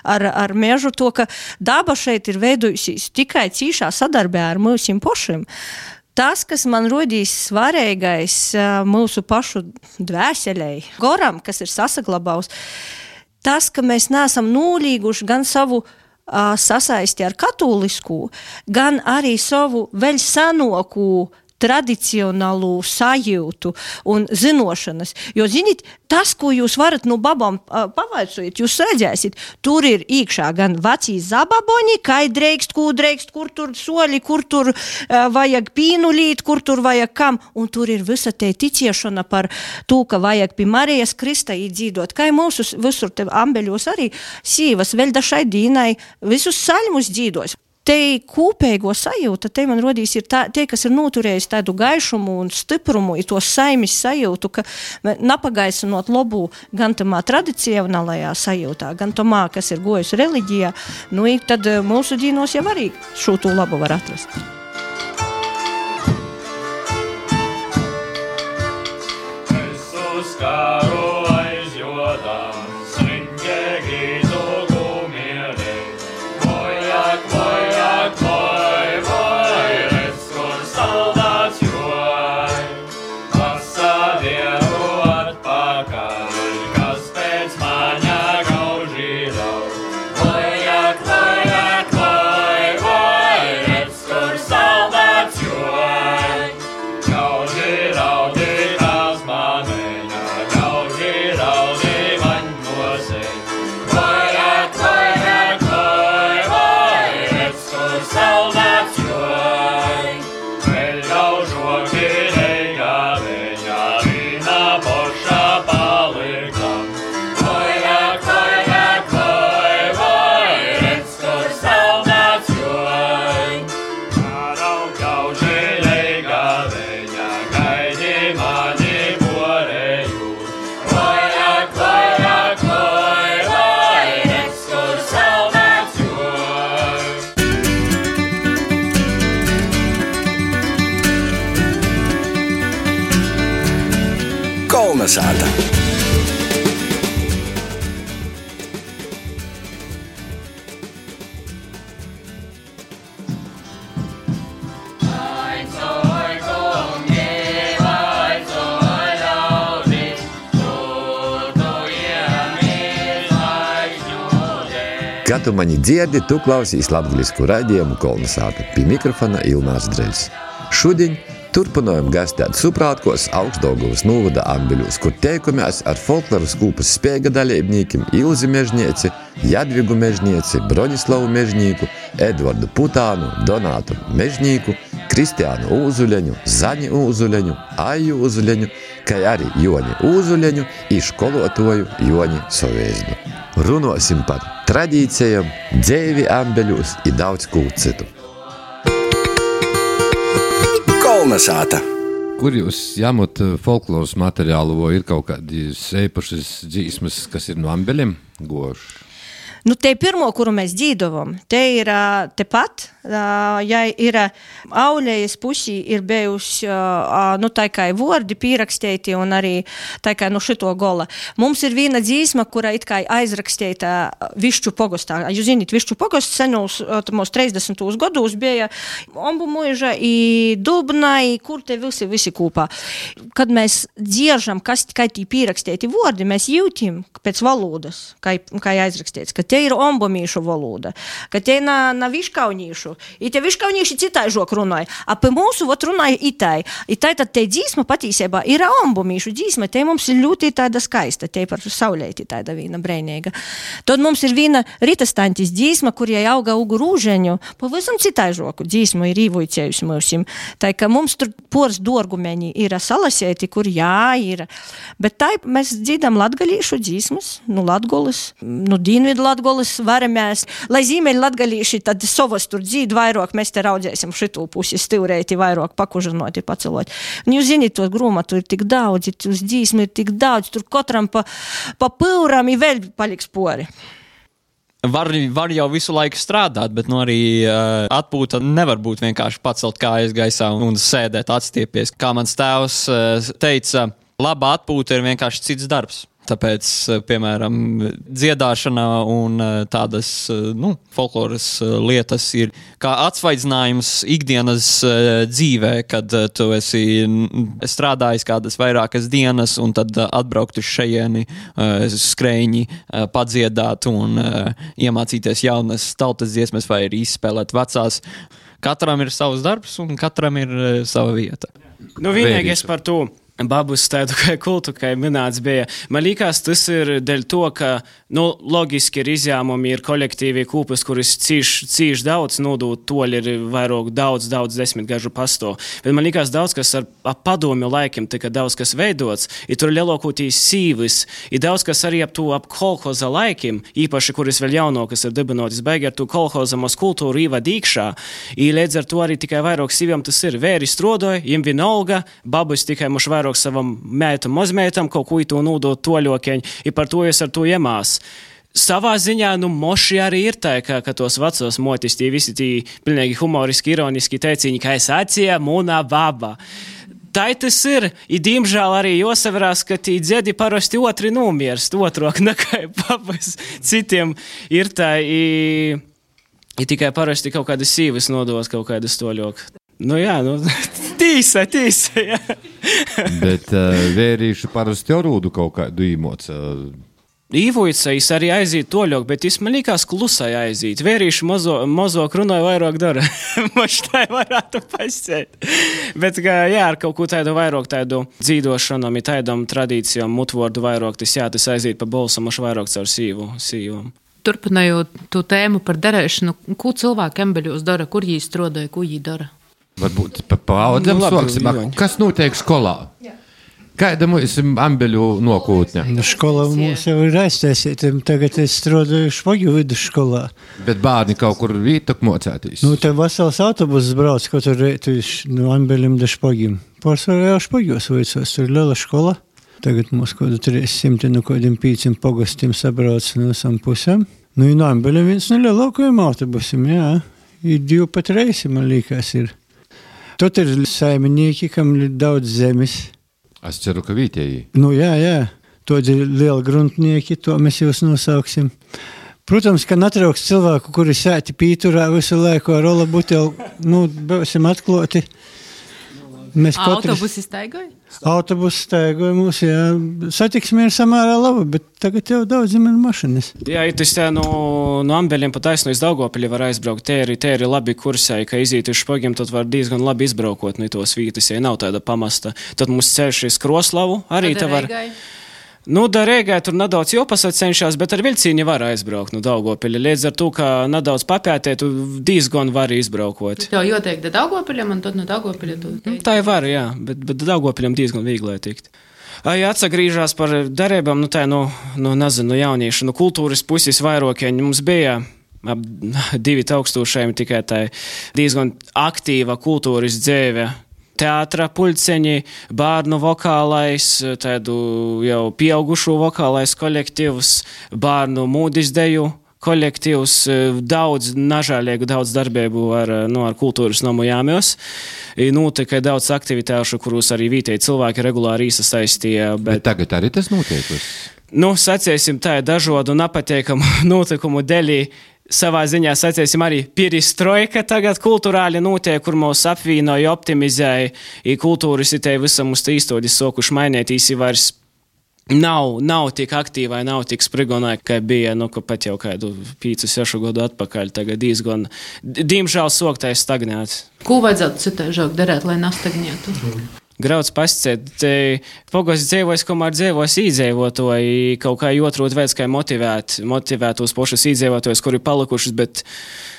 ar mežu, to, ka daba šeit ir veidojusies tikai cīšā sadarbē ar mūsim pošiem. Tas, kas man rodīs svarīgais mūsu pašu dvēselei, goram, kas ir sasaglabājis, tas, ka mēs neesam nolīguši gan savu sasaisti ar katoliskū, gan arī savu vēl senāku tradicionālu sajūtu un zinošanas. Jo, zinīt, tas, ko jūs varat no babām pavaicojot, jūs redzēsiet, tur ir iekšā gan vecī zababoņi, kai dreikst, kur tur soli, kur tur vajag pīnulīt, kur tur vajag kam, un tur ir visa te ticēšana par to, ka vajag pie Marijas Krista īdzīdot, kai mūsu visur te ambeļos arī sīvas vēl dašai dīnai visus saļmus dzīdos. Te kopēgo sajūta, te man rodīs ir tie, kas ir noturējis tādu gaišumu un stiprumu, ir to saimis sajūtu, ka napagaisinot lobu gan tamā tradicionālajā sajūtā, gan tamā, kas ir gojus reliģijā, tad mūsu dīnos jau arī šo to labu var atrast. Kolnesāta. Kā tu mani dzirdi, tu klausīs latgaļisku raidījumu Kolnesāta. Pie mikrofona Ilmārs Dreļs. Šodien turpinājam gastēt Suprātkos Augstdaugavas novada Ambeļos, kur teikumies ar folkloras kūpas Speiga dalībniekiem Ilzi Mežnieci, Jadvigu Mežnieci, Broņislavu Mežnīku, Edvardu Putānu, Donātu Mežnīku, Kristiānu Ūzuleņu, Zaņi Ūzuleņu, Aju Ūzuleņu, kā arī Joni Ūzuleņu i školotoju Joni Sovēzdu. Runosim par tradīcijām, dzeivi Ambeļos i daudz kū citu. Kolnesāta. Kur jūs jāmot folkloras materiālu, vai ir kaut kādi eipašas dzīsmas, kas ir no Ambeļiem goši? Nu, te pirmo, kuru mēs dzīdovam, te ir tepat, ja ir auļējas pusī ir bijusi, nu, tā kā vordi pīraksteiti un arī tā kā, nu, šito gola. Mums ir viena dzīsma, kura it kā aizraksteita Višķu pogostā. Jūs zināt, Višķu pogosts senūs, mūs 30. gados bija Ombu muiža i Dubna, i kur te visi kūpā. Kad mēs dziežam, kas tikai tī pīraksteiti vordi, mēs jūtim pēc valodas, kā aizraksteits, ka te ir ombomīšu valoda, ka te na viškaunīšu. I te viškaunīši citai žok runāja. A pie mūsu vot runāja itai. I tai tad te dzīsma patīsībā ir ombomīšu dzīsma. Te mums ir ļoti tāda skaista. Te par saulēti tāda vīna breinīga. Tad mums ir vīna ritastantis dzīsma, kur jai auga ugu rūžeņu. Pavisam citai žoku dzīsmu ir īvojcējusi mūsim. Tai, ka mums tur pors dorgumeņi ir salasēti, kur jā ir. Bet tai mēs dzīdam latgalīšu dzīsmas, nu latgolis, nu dīnvidu latgolis varamēs. Lai zīmeļi latgalīši, tad savas tur dzīd vairāk, mēs te raudzēsim šitū pusi stivreiti vairāk pakužinoti, pacelot. Un jūs zināt, to grūmatu ir tik daudz, tos dzīsmi ir tik daudz, tur katram pa pūram i vēl paliks pori. Var jau visu laiku strādāt, bet nu arī atpūta nevar būt vienkārši pacelt kājas gaisā un sēdēt atstiepies. Kā mans tēvs teica, laba atpūta ir vienkārši cits darbs. Tāpēc, piemēram, dziedāšana un tādas, nu, folkloras lietas ir kā atsvaidzinājums ikdienas dzīvē, kad tu esi strādājis kādas vairākas dienas un tad atbraukt uz šejieni, skrēņi, padziedāt un iemācīties jaunas tautas dziesmas vai arī izspēlēt vecās. Katram ir savs darbs un katram ir sava vieta. Nu, vienīgais par to. Babus tādu kā kultu, kā minēts bija. Man liekas, tas ir dēļ to, ka, nu, logiski ir izjāmumi, ir kolektīvi kūpas, kuris cīši daudz nodūt, toļi ir vairāk daudz desmitgažu pasto. Bet man liekas, daudz kas ar padomju laikiem, tika daudz kas veidots, ir tur lielākoties sīvis, ir daudz kas arī ap kolhoza laikiem, īpaši, kuris vēl jaunokas ir dibinotis, baigi ar to kolhozamos kultūru īvad īkšā, ir līdz ar to arī tikai vairāk sīviem tas ir. Vēri strodoja, jim vienalga, babus tikai muš vairāk savam mētam, mazmētam, kaut ko to nūdot toļokeņi, i par to es ar to iemās. Savā ziņā, nu, moši arī ir tā, ka tos vecos motis, tie visi tī pilnīgi humoriski, ironiski teiciņi, ka es acija mūna baba. Tā tas ir, i diemžēl arī josavarās, ka tī dzedi parasti otri nomirst, otrok nekā babas citiem ir tā, i tikai parasti kaut kādas sīvis nodos kaut kādas toļok. Nu jā, nu, tīsa, jā. Bet vērīši parasti orūdu kaut kādu īmoc. Īvojicais arī aiziet toļok, bet es man liekas klusai aiziet. Vērīši mozok runāja vairāk dara. Moš tā varētu pasēt. Bet, jā, ar kaut ko tādu vairāk tādu dzīdošanam, ir tādam tradīcijām, mutvordu vairāk, tas jā, tas aiziet pa bolsam, moš vairāk caur sīvom. Turpinājot to tēmu par darēšanu, ko cilvēki Ambeļos dara, kur jī strodoja, ko jī dara? Varbūt pa paudzēm soksim. Kas notiek skolā? Kāda mums ir Ambeļu nokūtņa? Nu, skolā mums jau ir aiztaisīta. Tagad es strādāju Špogju vidusskolā. Bet bērni kaut kur vītok mocētīs? Nu, te vesels autobuss brauc katru reitu no Ambeļiem da Špogiem. Pārsvarā jau Špogjos veicos, tur ir liela skola. Tagad mums kādu 300, no kādiem 5 pogastiem sabrauc no visam pusēm. Nu, no Ambeļiem viens no lielākajiem autobusiem, jā. Ir 2 reisi, man liekas, ir. Tot ir saimnieki, kam ir daudz zemes. Es ceru, ka vietēji. Nu, jā. Tot ir lieli gruntnieki, to mēs jūs nosauksim. Protams, ka netrauks cilvēku, kuri sēti pīturā visu laiku ar rola buteli, nu, būsim atkloti. Mēs katrs... Autobusi staigoja? Autobusi staigoja mūs, jā. Satiksme ir samērā laba, bet tagad jau daudziem ir mašinas. Jā, ja tas no Ambeļiem pa taisno iz Daugavpili var aizbraukt. Te ir labi kursai, ka iziet uz Špogiem, tad var diezgan labi izbraukot no tos vītas, ja nav tāda pamasta. Tad mums ceļš iz Kroslavu arī te var... Nu, da Rēgai tur nedaudz jopasat cenšās, bet ar vilcīni var aizbraukt no Daugavpili. Līdz ar to, ka nedaudz papētēt, tu diezgan var izbraukot. Tev jātiek da Daugavpiļam, un tad no Daugavpiļa tu... Tā ir var, jā, bet Daugavpiļam diezgan vīglē tikt. Ja atsagrīžās par darībām, nu tā, nezinu, jauniešu, kultūras puses vairokieņi mums bija ap 2000 tikai tā diezgan aktīva kultūras dzēve. Teātra pulceņi, bērnu vokālais, tādu jau pieaugušo vokālais kolektīvs, bērnu mūdizdeju kolektīvs, daudz nažālīgu, daudz darbību ar kultūras nomu jāmjos. Notika daudz aktivitāšu, kurus arī vietēji cilvēki regulāri iesaistīja. Bet tagad arī tas notiek? Sacēsim tā dažādu nepateikamu notikumu dēļ. Savā ziņā, sacēsim, arī perestroika tagad kulturāli notiek, kur mūs apvienoja, optimizēja, kultūras itē visam uz īstodis sokuši mainētīs, vairs nav tik aktīvai, nav tik sprigonai, kā bija, ka pat jau kādu 5-6 gadu atpakaļ, tagad diezgan, diemžēl soktais stagnēt. Ko vajadzētu citaižāk darēt, lai nestagnētu? Grauds pasciet, pogos dzēvos, komār dzēvos īdzēvotoji, kaut kā otrot veids, kā motivēt tos pošas īdzēvotojus, kuri palikušas, bet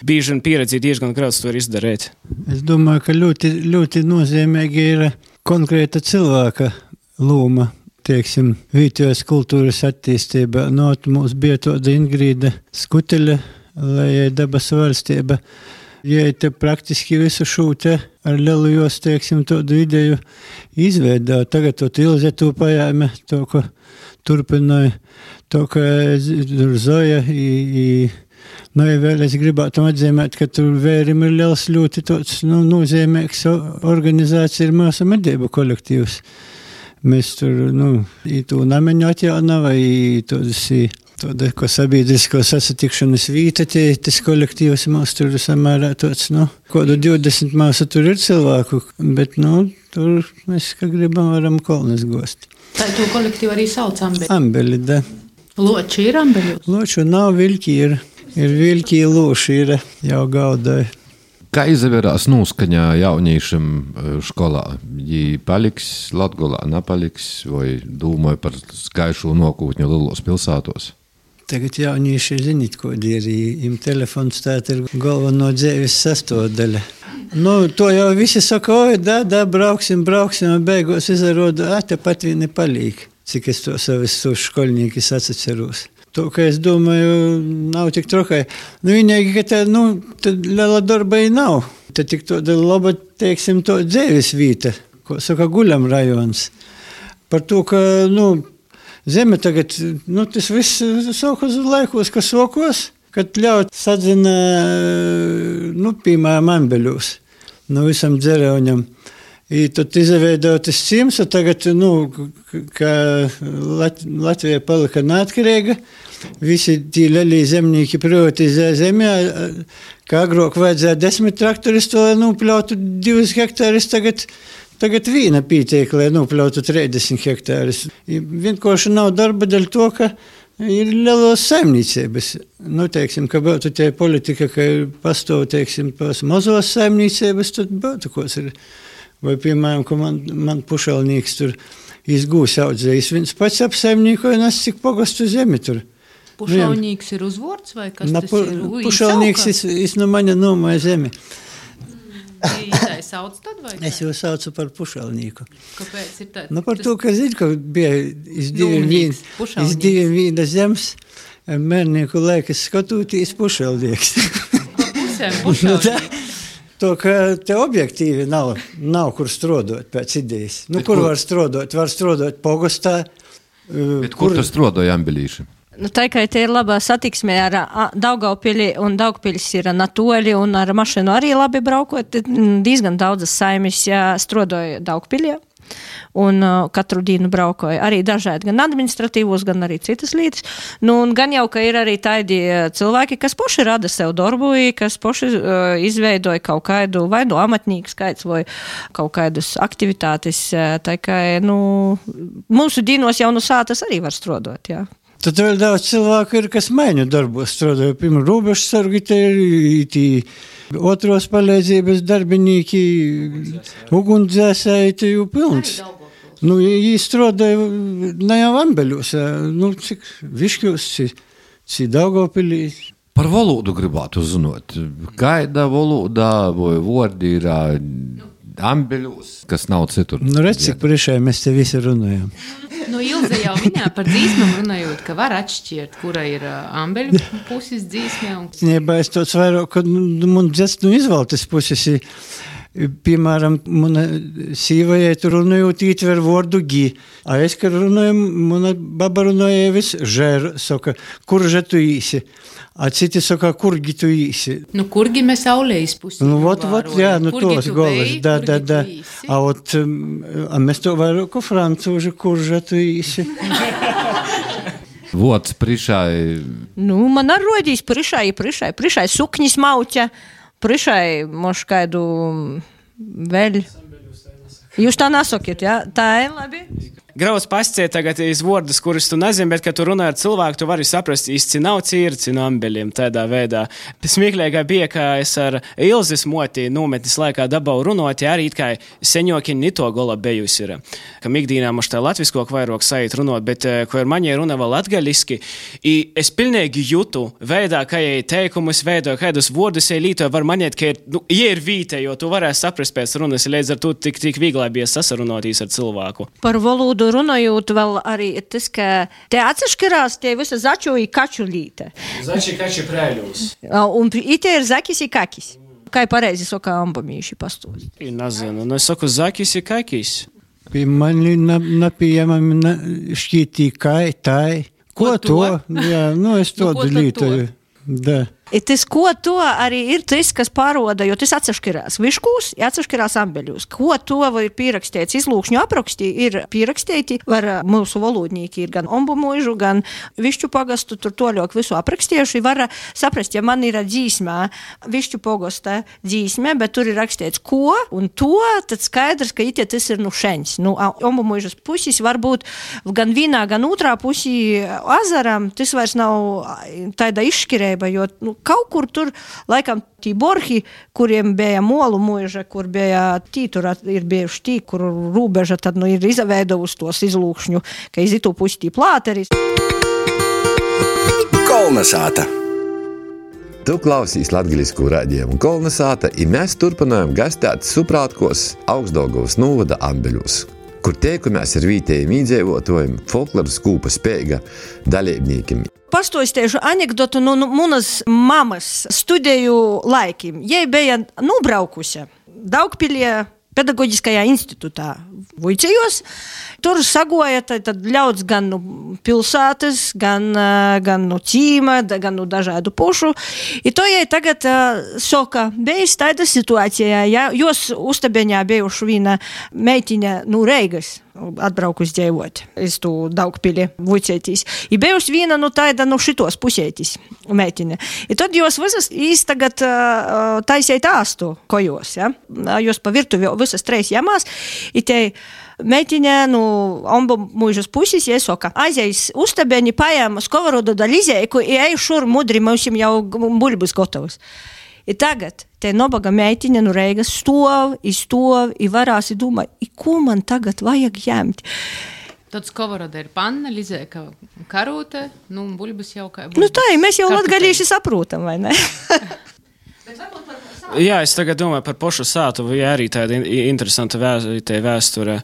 bieži un pieredzi diezgan grauds to izdarīt. Es domāju, ka ļoti nozīmīgi ir konkrēta cilvēka loma, teiksim, vietējās kultūras attīstība. Mums bija tāda Ingrīda Skuteļa, lai dabas valstība. Ja te praktiski visu šūte ar lielajos, teiksim, tādu ideju izveidā. Tagad to Ilze to pajāme, to, ko turpināja, to, ka Zoja ja vēl es gribētu atzīmēt, ka tur Vērim ir liels ļoti tāds, nozīmīgs organizācija ir mūsu medību kolektīvs. Mēs tur, to nameņu atjaunava, tāda, ko sabiedrisko sasatikšanas vīta, tas kolektīvs mums tur samērā tāds, kādu 20 māsu tur ir cilvēku, bet, tur mēs, kā gribam, varam kolnes gost. Tā to kolektīvu arī sauc Ambeli? Ambeli, da. Loči ir Ambeļos? Loču nav, viļki ir viļki, loši ir, jau gaudāja. Kā izavērās noskaņā jauniešiem skolā? Viņi paliks Latgolā, nepaliks, vai domāja par gaišo nokūtņu lielos pilsētos? Tagad jaunieši zinīt, ko ir. Im telefons tāt ir galveno dzēvis sastāvdaļa. To jau visi saka, brauksim, beigās izaroda, tepat viņi palīk. Cik es to savis skolniekis atceros. To, ka es domāju, nav tik trokai. Vienīgi, ka tad liela darba nav. Tad tik tāda laba, teiksim, to dzēvis vīta, ko saka Guļam rajons. Par to, ka, zeme tagad, tas viss sākos laikos, kas sākos, kad ļaut sadzina, piemēram, Ambeļos, visam dzerauņam. Tad izveidot tas cīms, un tagad, ka Latvija palika neatkarīga, visi tī lielie zemnieki privatizē zemē, kā agrāk vajadzēja 10 traktoris, to nopļautu 2 hektārus, tagad viena pītiek, lai nopļautu 30 hektārus. Vienkārši nav darba dēļ to, ka ir lielos saimniecības. Teiksim, ka būtu tie politika, ka pastāv, teiksim, pās mazos saimniecības, tad būtu, kos ir. Vai, piemēram, ka man pušalnīks tur izgūs audzējis, viens pats apsaimnīkoja, nes cik pogastu zemi tur. Pušalnīks ir uzvords vai kas tas ir? Pušalnīks no maņa nomāja zemi. Tā sauc tad vai kā? Es jau saucu par pušalnīku. Kāpēc ir tā? Par to, ka zinu, ka bija iz diviem vīna zems, mērnieku laikas skatūtīs pušalnīks. Pa pusēm pušalnīks. To, ka te objektīvi nav kur strādāt pēc idejas. Kur var strādāt? Var strādāt pogostā. Bet kur tu strādāji Ambelīši? Tā kā te ir labā satiksmē ar Daugavpili, un Daugavpilis ir natoļi, un ar mašinu arī labi braukot, diezgan daudzas saimis strādāja Daugavpiļā. un katru dienu braukoju. Arī dažādi, gan administratīvos, gan arī citas lietas. Nu, un gan jau, ka ir arī tādi cilvēki, kas poši rada sev darbu, kas poši izveidoja kaut kādu vai no amatnieku skaits vai kaut kādus aktivitātes. Tā kā, mūsu dīnos jau no sātas arī var strodot, jā. Tad vēl daudz cilvēku ir, kas maiņu darbos strādāja. Pirmā robežu sargi, tī otros palīdzības darbinīki, ugunsdzēsēji, tī jau pilns. Jī strādāja ne jau Ambeļos, cik Viškos, cik Daugavpilī. Par valodu gribētu zināt. Kāda valoda vai vordi ir Ambeļos, kas nav citur? Redz, cik priekšā mēs te visi runājam. Ilze jau minēja par dzīsmām runājot, ka var atšķirt, kura ir Ambeļu puses dzīsmē. Nebā es tāds vairāk, ka man dzēst izvaltes puses. Piemēram, mana sīvajai tur runājot ietver vordu gi. A es, ka runāju, mana baba runāja vis žēr, saka, kurže tu īsi. A citi saka, kurgi tu īsi. Kurgi mēs aulējas pusi. Vot, jā, tos golas, da. A mēs to vairāk ko francūži, kurže tu īsi. Vots prišai. Man ar rodīs prišai sukņis mauķa, prišai moš kaidu vēl. Jūs tā nesakiet, jā? Tā ir labi. Grauds pasciet tagad iz vārdus, kurus tu nezini, bet, kad tu runā ar cilvēku, tu vari saprast, īsti nav cīrci no Ambeļiem tādā veidā. Smieklīgā bija, ka es ar Ilzes moti nometnes laikā dabau runot, arī it kā seņoki nito gola bejus ir. Kam ikdīnā mums tā latvisko vairāk sajūt runot, bet, ko ar mani runa vēl latgaliski, i es pilnīgi jūtu veidā, ka jai teikumus veido, kādus vārdus jai lītoja, var maniet, ka ir vīte, jo tu varēsi saprast pēc runas, līdz ar to tik vieglā bija sasarunotīs ar cilvēku. Par valodu runājot vēl arī tas, ka te atsaškarās tie visa začu i kaču līte. Zači kači prēļūs. Un ite ir zakis i kakis. Kā pareizi saka ambamīši pastos? Nezinu, es saku zakis i kakis. Pie mani napījamam šķītī kai, tai. Ko to? Jā, es to lītoju. Da. Tas, ko to arī ir tas, kas paroda, jo tas atsaškirās Viškūs, atsaškirās Ambeļos. Ko to var pierakstīts izlūkšņu aprakstī, ir pierakstīti, var mūsu valodnīki ir gan Ombumožu, gan Višķu pagastu, tur toļok visu aprakstieši, var saprast, ja man ir dzīsmē Višķu pagasta dzīsmē, bet tur ir rakstīts ko un to, tad skaidrs, ka itie tas ir šeņs. Ombumožas pusis varbūt gan vienā, gan otrā pusī azaram, tas vairs nav tāda izšķirēba, jo kaut kur tur, laikam, tī borhi, kuriem bija molu mūža, kur bija tur ir bijuši tī, kur rūbeža tad ir izaveidojusi tos izlūkšņu, ka iz itu pusi tī plāteris. Kolnesāta. Tu klausīs latgaliskū raidījumu Kolnesāta, i mēs turpinājam gastēt suprātkos Augstdaugavas novada Ambeļos, kur teikumies ar vītējiem īdzīvotājiem, folkloras kūpa Speiga dalībniekiem. Pastāstīšu anekdotu no manas mamas studiju laikiem. Jai bija nobraukusi Daugpiļie pedagoģiskajā institūtā Vuicejos. Tur sagoja tad ļauds gan no pilsētas, gan no cīma, gan no dažādu pušu. I to jai tagad soka, bijis tāda situācijā, ja jos uztabeņā bijuši viena meitiņa no Reigas atbraukus dzīvot iz tu Daugpili Vuicētīs. I bijusi viena tāda šitos pusētīs meitiņa. I tad jos visas īs tagad taisēt āstu kojos, ja? Jos pa virtuvi visas treis jamās. I te meitiņa no Ombumožas puses, jai soka, aizējis uztabeņi pajāma skovorodu da lizēku i ej šur mudri, mums jau buļbus gotovas. I tagad te nobaga meitiņa no Reigas stov i varās i domā, ko man tagad vajag ņemt. Tad skovoroda ir panna, lizēka karūte, buļbus jau kā... Tā, mēs jau latgalīši saprūtam, vai ne? Jā, es tagad domāju par pošu sātu, vai arī tāda interesanta vēsture.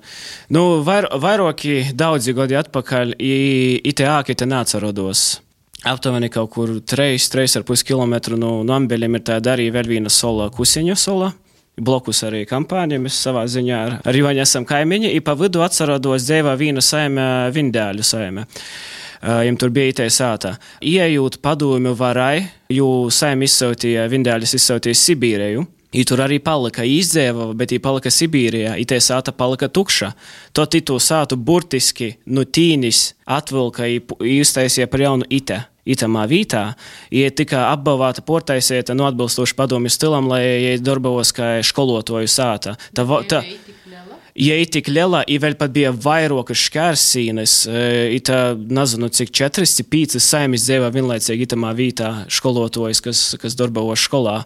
Vairāki daudzi gadi atpakaļ ite āki te nācarodos. Aptuveni kaut kur 3,5 kilometru no Ambeļiem ir tāda arī vēl viena sola, Kusiņu sola. Blokus arī kampāņiem, mēs savā ziņā ar Joņu esam kaimiņi, i pa vidu atsarodos dzēvā vīna saime, Vindēļu saime. Jiem tur bija itē sātā. Iejūt padomju varai, jo saime izsautīja, Vindēļus izsautīja Sibīreju. I tur arī palika izdzēva, bet I palika Sibīrijā, I te sāta palika tukša. Tot I to sātu burtiski no tīnis atvilka I iztaisīja par jaunu itamā vītā. I tika apbalvāta portaisieta no atbilstoši padomju stilam, lai I darbavos kā školotoju sāta. Ja I tik liela, I vēl pat bija vairokas šķērsīnes, I tā, nezinu, cik 4-5 saimis dzēvā vienlaicīgi itamā vītā školotojas, kas darbavos školā.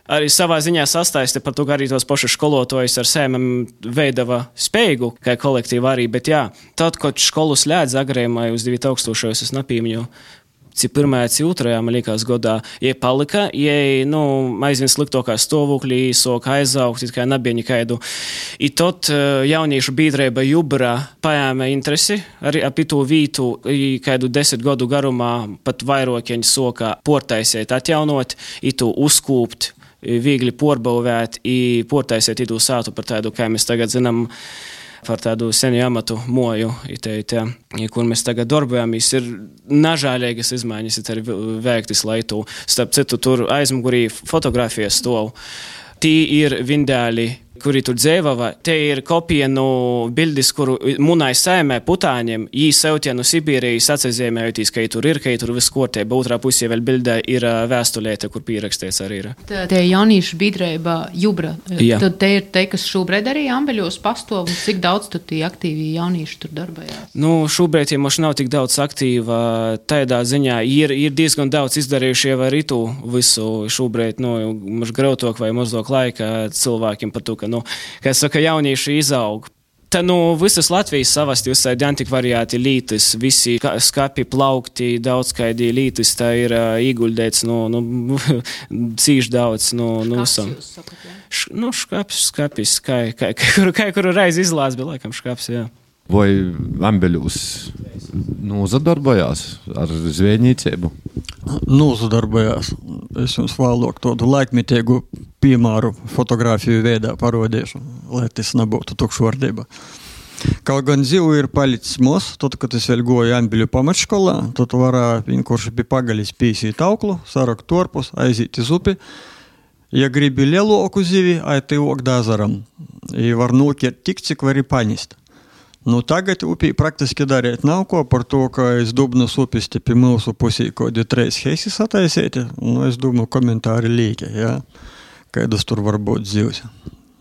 Arī savā ziņā sastāsti par to, ka arī tos pašus školotojus ar sēmam veidava spēju, kā kolektīva arī, bet jā, tad, kad školu slēdz agrējumā uz 2000, es nepīmņu, cik pirmajā, cik otrajā, man liekas, godā, ja palika, ja, aizvien sliktokā stāvoklī, sok aizaugt, it kā nebija nekaidu. I tot jauniešu biedrība Jubra paēma interesi arī ap to vītu, kādu 10 gadu garumā pat vairokieņu soka portaisiet atjaunot, I to uzkūpt, viegli porbavēt, I portaisiet itū sātu par tādu, kā mēs tagad zinām, par tādu senu amatu moju, kur mēs tagad darbojamies, ir nažēlīgas izmaiņas, ir veiktas laitū. Starp citu, tur aizmugurī fotografijas stov. Tī ir vindēli, kuri tur dzēvava, te ir kopija no bildis, kuru munai saimē putāņiem, jī sevtie no Sibīrijas atsazīmējoties, ka tur viss kārtībā, otrā pusē vēl bildē ir vēstulēte, kur pierakstīts arī ir. Tie jauniešu biedrība Jubra, tad te ir te, kas šobrīd arī Ambeļos pastāv, un cik daudz tad tie aktīvi jaunieši tur darbojās? Nu, šobrīd ja mums nav tik daudz aktīva, tādā ziņā ir diezgan daudz izdarījuši jau arī tu visu šobrīd, mums grautok vai mazāk laika cilvēkiem par to, ka kā saka, jaunieši izaug. Tā visas Latvijas savasti uzsādi antikvariāti lītis, visi skapi plaukti, daudz kaidi lītis, tā ir ieguldēts, cīši daudz, visam. Skapis, kā kuru reizi izlās, bija laikam škaps, jā. Vai Ambeļus nozadarbojās ar zvejniecību? Nozadarbojās. Es jums vēlāk tādu laikmetīgu piemēru fotografiju veidā parodīšu, lai tas nebūtu tukšvārdība. Kaut gan zivu ir palicis mos, tad, kad es vēl goju Ambeļu pamatškolā, tad varā vienkārši pie pagaļas pīsīt auklu, sarakt torpus, aiziet iz upi. Ja gribi lielāku zivi, aiti ok dazaram. I var nokert tik, cik vari panist. Tagad upī praktiski darīt nav ko par to, ka es Dubnas upis te pie mūsu pusī kodi 3 heisis ataisēti. Es domāju, komentāri līki, jā. Kaidas tur var būt zivs.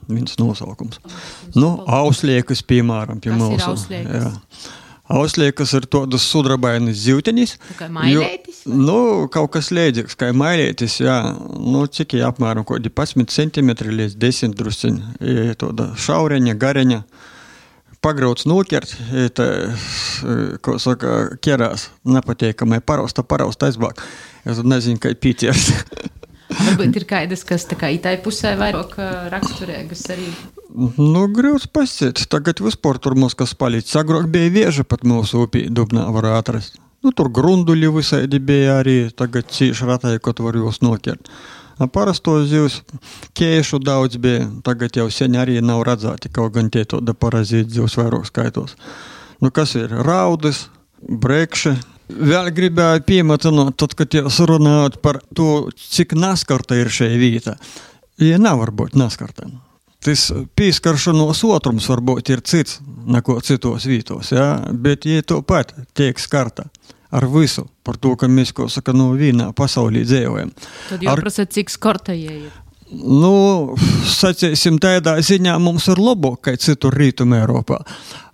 Viens nosaukums. Ausliekas, piemēram, pie mūsu. Kas ir ausliekas? Jā. Ausliekas ir tādas sudrabainas zivtenis. Kā mailētis? Kaut kas līdzīgs, kā mailētis, jā. Cik apmēram kodi 11 centimetri līdz 10 drusciņi. Tāda šaureņa, gareņa. Pagrauts nokert, ko saka, kerās, nepatīkamai parausta aizbāk. Es nezinu, kā pīties. Varbūt ir kaidas, kas tā kā itai pusē vairāk raksturēgas arī? Grūts pasciet. Tagad vispār tur mums kas palīdz. Agrāk bija vieža pat mūsu upī Dubnā var atrast. Tur grunduļi visādi bija arī, tagad cīši ratai, kad var jūs nokert. Parastos zivs kēšu daudz bija, tagad jau sen arī nav redzēti, kaut gan tie tāda parazīti zivs vairāk skaitos. Kas ir? Raudis, brekši. Vēl gribēju piemetināt, tad, kad jūs runājat par to, cik naskarta ir šeit vīta. Ja nevar būt naskarta. Tas pīskaršanos otrums varbūt ir cits, neko citos vītos, jā? Bet ja to pat tiek skarta. Ar visu, par to, ka mēs, ko saka, vienā pasaulī dzējojam. Tad jau prasat, cik skarta jie ir? Sacīsim, tādā ziņā mums ir labāk, kā citur Rītumē Eiropā.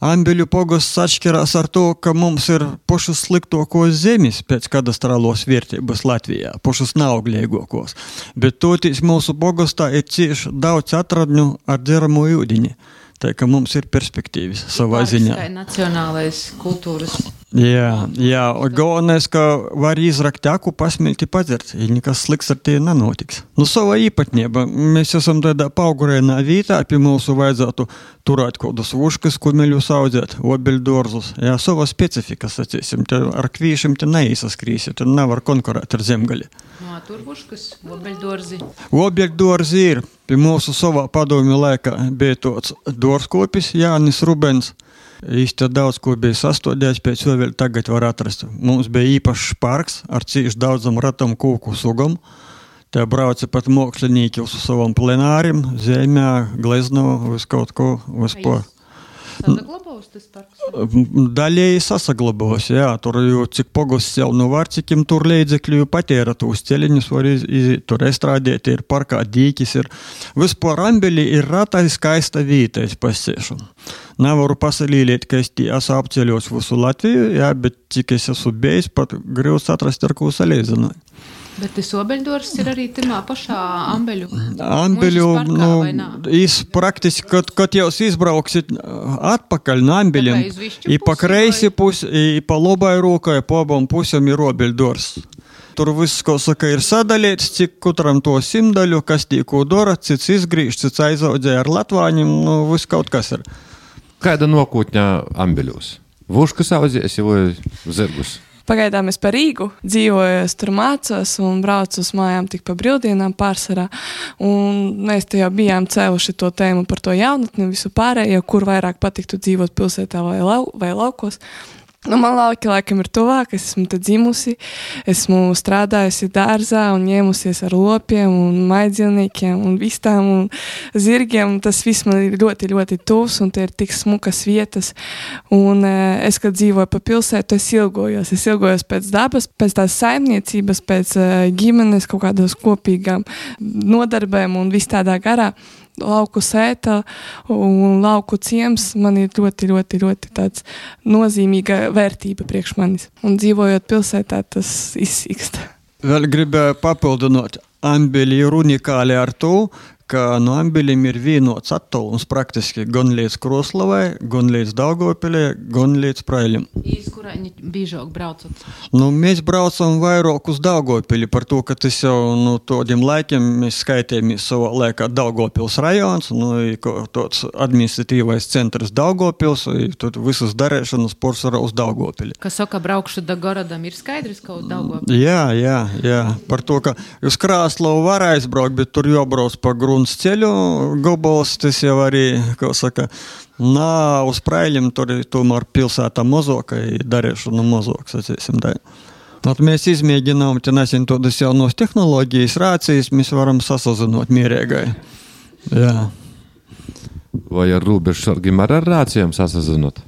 Ambeļu pogosts atšķirās ar to, ka mums ir pašas sliktokos zemes pēc kadastrālos vērtības Latvijā, pašas neauglīgākos. Bet toties mūsu pogostā ir cieši daudz atradņu ar dzeramo ūdeņi. Tā ka mums ir perspektīvas savā ziņā. Tā ir nacionālais kultūras. Jā, galvenais, ka var izrakt aku, pasmelti padzert, ja nekas sliks ar tie nenotiks. Savā īpatnība, mēs esam tādā paugurēnā vītā, pie mūsu vajadzētu turēt kodus vuškas, kumeļus audzēt, obeļdorzus. Jā, savā specifika, sacīsim, te ar kvīšiem te neizsaskrīsi, te nevar konkurēt ar zemgali. Tur vuškas, obeļdorzi. Obeļdorzi ir. Pie mūsu savā padomju laikā bija tāds dārzkopis Jānis Rubens. Īsti daudz, ko bija sastādījis, pēc vēl tagad var atrast. Mums bija īpašs parks ar cīši daudzam ratam kūku sugam. Te brauca pat mākslinieki uz savam plenārim, zemē, glezno, uz kaut ko, uz po. Sasaglabos tas parks? Daļēji sasaglabos, jā. Tur jau cik pogosts jau nu var, cikim tur līdzekļu patēra tūs ceļiņus var tur estrādēt, ir parkā dīkis, ir. Vispār Ambeli ir ratai skaista vīta, es pasēšanu. Nevaru pasalīlēt, ka es esmu apceļos visu Latviju, jā, bet cik es esmu bijis, pat grūts atrast ar ko salīdzināju. Bet tas Obeļdors ir arī timā pašā Ambeļu parkā, vai nā? Jūs praktiski, kad jūs izbrauksit atpakaļ no Ambeļiem, i pa kreisi pusi, i pa labai rokai, pa abam pusēm ir Obeļdors. Tur viss, ko saka, ir sadalīts, cik kutram to simdaļu, kas tīko dora, cits izgrīž, cits aizaudzē ar latvāņiem, viss kaut kas ir. Kāda nokūtņā Ambeļos? Vuškas audzies vai zirgus? Pagaidām es par Rīgu dzīvoju, es tur mācos un braucu uz mājām tik pa brīvdienām pārsvarā. Un mēs te jau bijām cēluši to tēmu par to jaunatni, visu pārējo, kur vairāk patiktu dzīvot pilsētā vai laukos. Man lauki laikam ir tuvāk, es esmu te dzimusi, esmu strādājusi dārzā un ņēmusies ar lopiem un maidzīvniekiem un vistām un zirgiem. Tas viss man ir ļoti, ļoti tuvs un te ir tik smukas vietas. Un es, kad dzīvoju pa pilsētu, es ilgojos pēc dabas, pēc tās saimniecības, pēc ģimenes kaut kādās kopīgām nodarbēm un viss tādā garā. Lauku sēta un lauku ciems man ir ļoti, ļoti, ļoti tāds nozīmīga vērtība priekš manis. Un dzīvojot pilsētā, tas izsīkst. Vēl gribēju papildināt, Ambeli ir unikāli ar to, ka no Ambeļiem ir vienots attālums praktiski gan līdz Kroslavai, gan līdz Daugavpilei, gan līdz Praiļiem. Iz kurāņi bīžāk braucat? Mēs braucam vairāk uz Daugavpili par to, ka tas jau tādiem laikiem mēs skaitējamies savā laikā Daugavpils rajons, tāds administratīvais centrs Daugavpils, tur visas darēšanas porcelāna uz Daugavpili. Kas saka, braukšu da Gorodam, ir skaidrs, ka uz Daugavpili? Jā. Par to, ka uz Krāslavu var aizbraukt, bet tur jābrauc pa Gruns ceļu, gobals, tas jau arī, kā saka, uz Praiļiem tur tomēr pilsētā mazāka, darēšana mazāk, sacīsim tā. Mēs izmēģinām, te nesen tādas jaunos tehnoloģijas, rācijas, mēs varam sasazinot mierīgai. Jā. Vai ar robežsargiem ar rācijām sasazinot?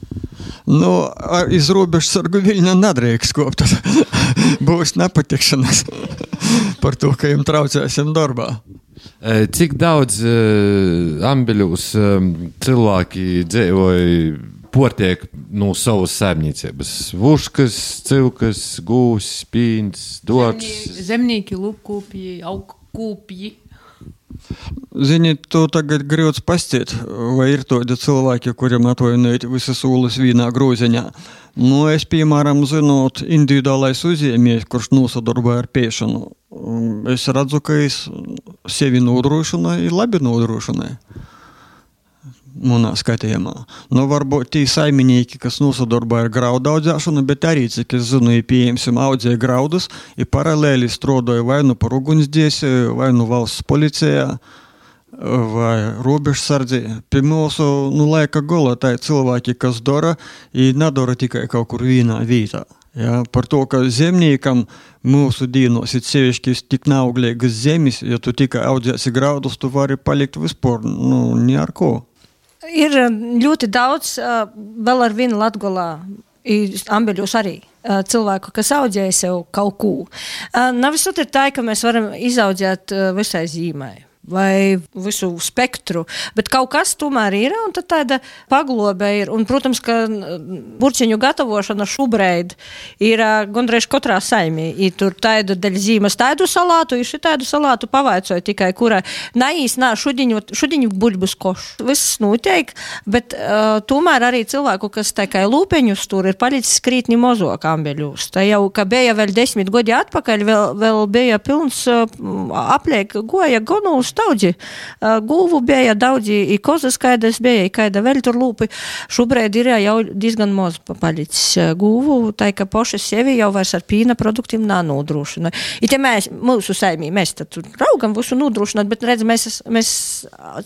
Iz robežsargu Viļņā nedrīkst kopt. Būs nepatikšanas par to, ka jums traucēsim darbā. Cik daudz Ambeļos cilvēki dzīvoja portiek no savas saimniecības? Vuškas, civkas, gūs, spīns, dots? Zemnieki, lupkūpji, augkūpji. Ziniet, to tagad grūts pastiet, vai ir tādi cilvēki, kuriem atvainojot visas ūlas vīnā groziņā. Es, piemēram, zinot, individuālais uzņēmējs, kurš nosadarboja ar pēšanu, es redzu, ka es sevi nodrošināju, labi nodrošināju. Manā skatījumā. Varbūt tī saimnieki, kas nosadarboja ar graudu audzēšanu, bet arī, cik es zinu, pieņemsim audzēja graudus, paralēli strādāja vai par ugunsdziesēju, vai valsts policijā, vai robežsardzī. Pie mūsu laika gola tā cilvēki, kas dara, nedara tikai kaut kur vienā vietā. Ja, par to, ka zemniekam mūsu dīnos ir sevišķi tik neauglīgas zemes, ja tu tikai audzēsi graudus, tu vari palikt vispār, ne ar ko. Ir ļoti daudz, vēl ar vienu Latgolā, Ambeļos arī, cilvēku, kas audzēja sev kaut ko. Nav visot ir tā, ka mēs varam izaudzēt visai zīmai vai visu spektru, bet kaut kas tomēr ir, un tad tāda paglobe ir, un, protams, ka burciņu gatavošana šubreid ir gandrīz katrā saimī, tur tādu daļ zīmes tādu salātu, ir šitādu salātu pavaicoja tikai, kurai šudiņu buļbus košu. Viss notiek, bet tomēr arī cilvēku, kas tikai lūpeņus tur ir palicis krītni mozok Ambeļos. Tā jau, ka bija vēl 10 gadi atpakaļ, vēl bija pilns apliek goja gonūs daudzi. Gulvu bija daudzi, i kozas kaidas bija, i kaida vēl tur lūpi. Šobrīd ir jau diezgan maz palicis gulvu, tā ka poši sevi jau vairs ar pīna produktiem nānodrošina. I te mūsu saimī, mēs tad raugam visu nodrošināt, bet redz, mēs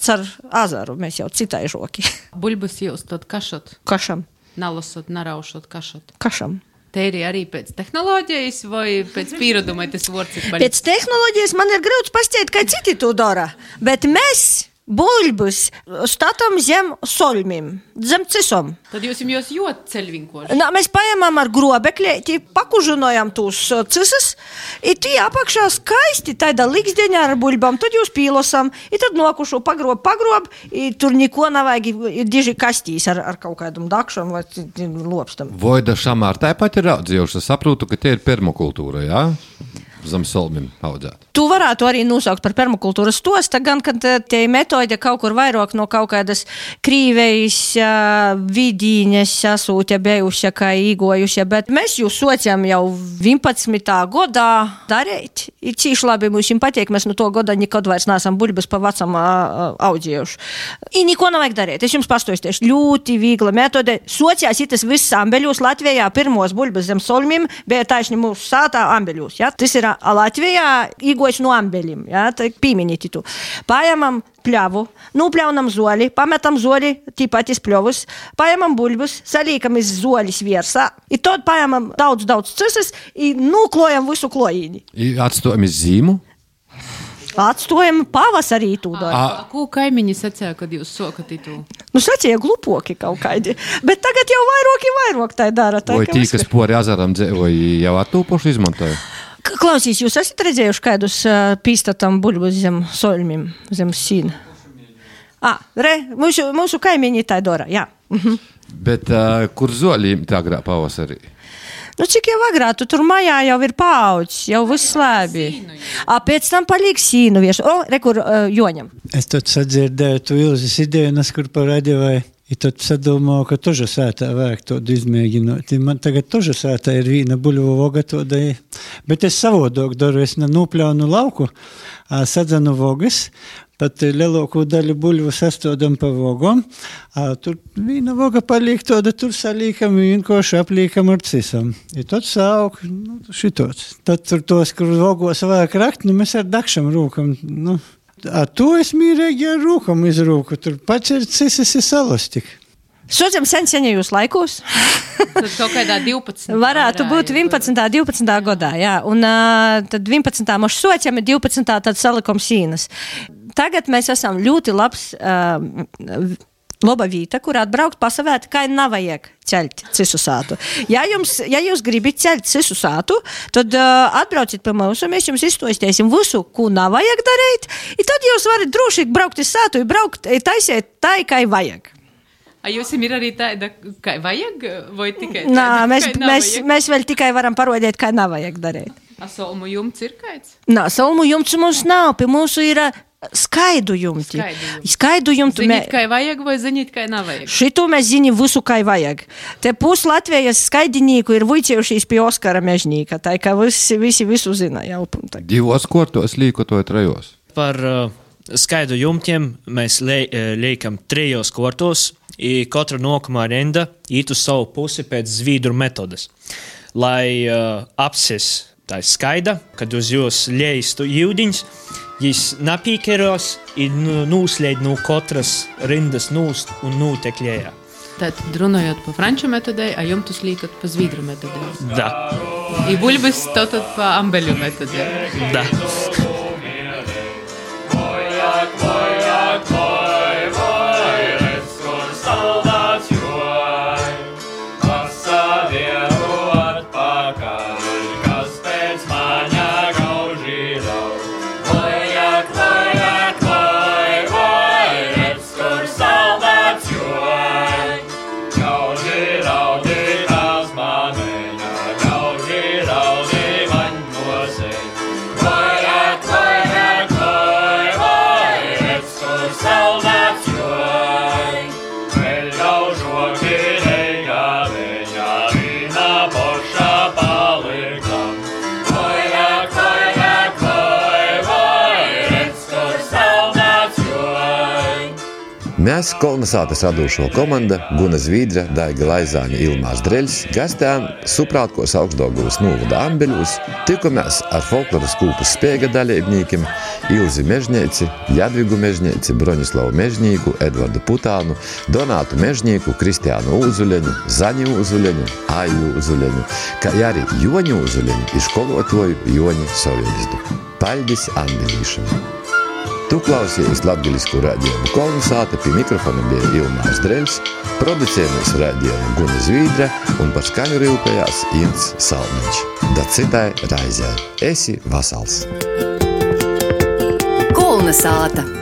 car azaru, mēs jau citai žoki. Buļbus jūs tad kašat? Kašam. Nalasot, naraušot, kašat? Kašam. Teiri arī pēc tehnoloģijas vai pēc piereduma tas vārds ir paļ... Pēc tehnoloģijas man ir grūts pastiet, kā citi to dara, bet mēs buļbus statam zem solmim, zem cisom. Tad jūs jūt ceļvinkoši? Mēs paņemam ar grobekļi, pakužinojam tūs cisas, i tī apakšā skaisti taida liksdeņa ar buļbam, tad jūs pīlosam, i tad nokušu pagrob, i tur niko nevajag, i diži kastīs ar kaut kādam dakšam vai lopstam. Voida šamār tāpat ir audzējuši, es saprotu, ka tie ir permakultūra, jā? Zem solmim audzēt. Tu varētu arī nosaukt par permakultūras stosta, gan, kad tie metode kaut kur vairāk no kaut kādas Krīvejas vidīņas sasūtja bijušia, kā īgojušia, bet mēs jūs sociam jau 11. godā darīt. Ir cīši labi, mums patīk, mēs no to goda nekad vairs neesam buļbas pa vecam audzējuši. I niko nevajag darīt. Es jums pastoju, ļoti viegla metode. Sociās itas viss ambeļos. Latvijā pirmos buļbas zem solmim bija taisni mūsu sātā ambeļos. Ja? Tas ir Latvijā īgojas no ambeļiem, ja, tā pīminīti tu. Paņemam pļavu, nupļaunam zoli, pametam zoli, tīpat iz pļovus, paņemam buļbus, salīkam iz zolis viersā, i tad paņemam daudz cisas i nuklojam visu klojīni. Atstojam iz zīmu? Atstojam pavasarī tū dara. Ko kaimiņi sacīja, kad jūs sokat itu? Sacīja glupoki kaut kādi, bet tagad jau vairāk tā dara. Vai tī, kas pori azaram dzēvoji, jau attūpoši izmantoja? Klausīs, jūs esat redzējuši kādus pīstatam buļbus zem solmim, zem sīna? Mūsu kaimiņi tā dara, jā. Bet kur zolīm tā agrā pavasarī? Cik jau agrā, tu tur majā jau ir paaudzis, jau viss labi. Pēc tam paliek sīnu vieši. Rekur Joņam. Es tad sadzirdēju tu Ilzes ideju, kur parādīju. I tad sadomāju, ka toža sētā vajag to izmēģināt. Man tagad toža sētā ir vīna buļvu voga to daļa. Bet es savodok daru, es nopļaunu lauku, sadzanu vogas, pat lielāko daļu buļvu sastodam pa vogom. Tur vīna voga paliek toda, tur salīkam, vienkoši aplīkam ar cisam. I tad sauk, šitots. Tad tur tos, kur vogos vajag rakt, mēs ar dakšam rūkam, to es mīrēgi ar rūkam izrūku. Tur pats ir cisas i salastik. Socam seņos laikos. Tad kaut kādā 12. Varētu būt 11. 12. godā, jā. Un tad 11. moš sociam, 12. tad salikom sīnas. Tagad mēs esam ļoti labs laba vīta, kur atbraukt pasavēt, kā nevajag ceļt cisu sātu. Ja jūs gribat ceļt cisu sātu, tad atbrauciet pie mums, un mēs jums izstostēsim visu, ko nevajag darīt, i tad jūs varat droši braukt iz sātu, taisiet tā, kā vajag. Jūs ir arī tāda, kā vajag, vai tikai tāda, mēs vēl tikai varam parodēt, kā nevajag darīt. Solmu jumts ir kāds? Solmu jumts mums nav, pie mūsu ir skaidu jumti. Zinīt, kā vajag, vai zinīt, kā nevajag? Šito mēs zinām visu, kā vajag. Te pus Latvijas skaidinīku ir vuicējušies pie Oskara Mežnīka, tā kā visi visu zina. Divos kortos līkotoja trejos. Par skaidu jumtiem mēs liekam 3 kortos, i katra nākamā rinda īt uz savu pusi pēc zvīdru metodas. Lai apsis tā skaida, kad uz jūs liestu jūdiņš, jis napīkeros i nūslēd no katras rindas nūst un nūtekļējā. Tātad runājot pa franču metodei, a jumtus līkat pa zvīdru metodei? Da. I buļbis tātad pa ambeļu metodei? Da. Vai Mēs Kolnesātas radūšo komanda Guna Zvīdra, Daiga Laizāņa, Ilmārs Dreļs gastējām Suprātkos Augstdaugavas novada Ambeļos, tikamies ar folkloras kūpas Spēga dalībniekiem Ilzi Mežņeici, Jadvigu Mežņeici, Broņislavu Mežņīku, Edvardu Putānu, Donātu Mežņīku, Kristiānu Uzuļeņu, Zaņu Uzuļeņu, Aju Uzuļeņu, kā arī Joņu Uzuļeņu i školotoju Joņi Soviļzdu. Paļdis Ambelīšam! Tu klausījies latgaļisku raidījumu Kolnesāta, pie mikrofona bija Ilmārs Dreļs, producējamies raidījumu Guna Zvīdra un par skaņu rūpējās Ints Salmiņš. Da citai raizē. Esi vasals! Kolnesāta!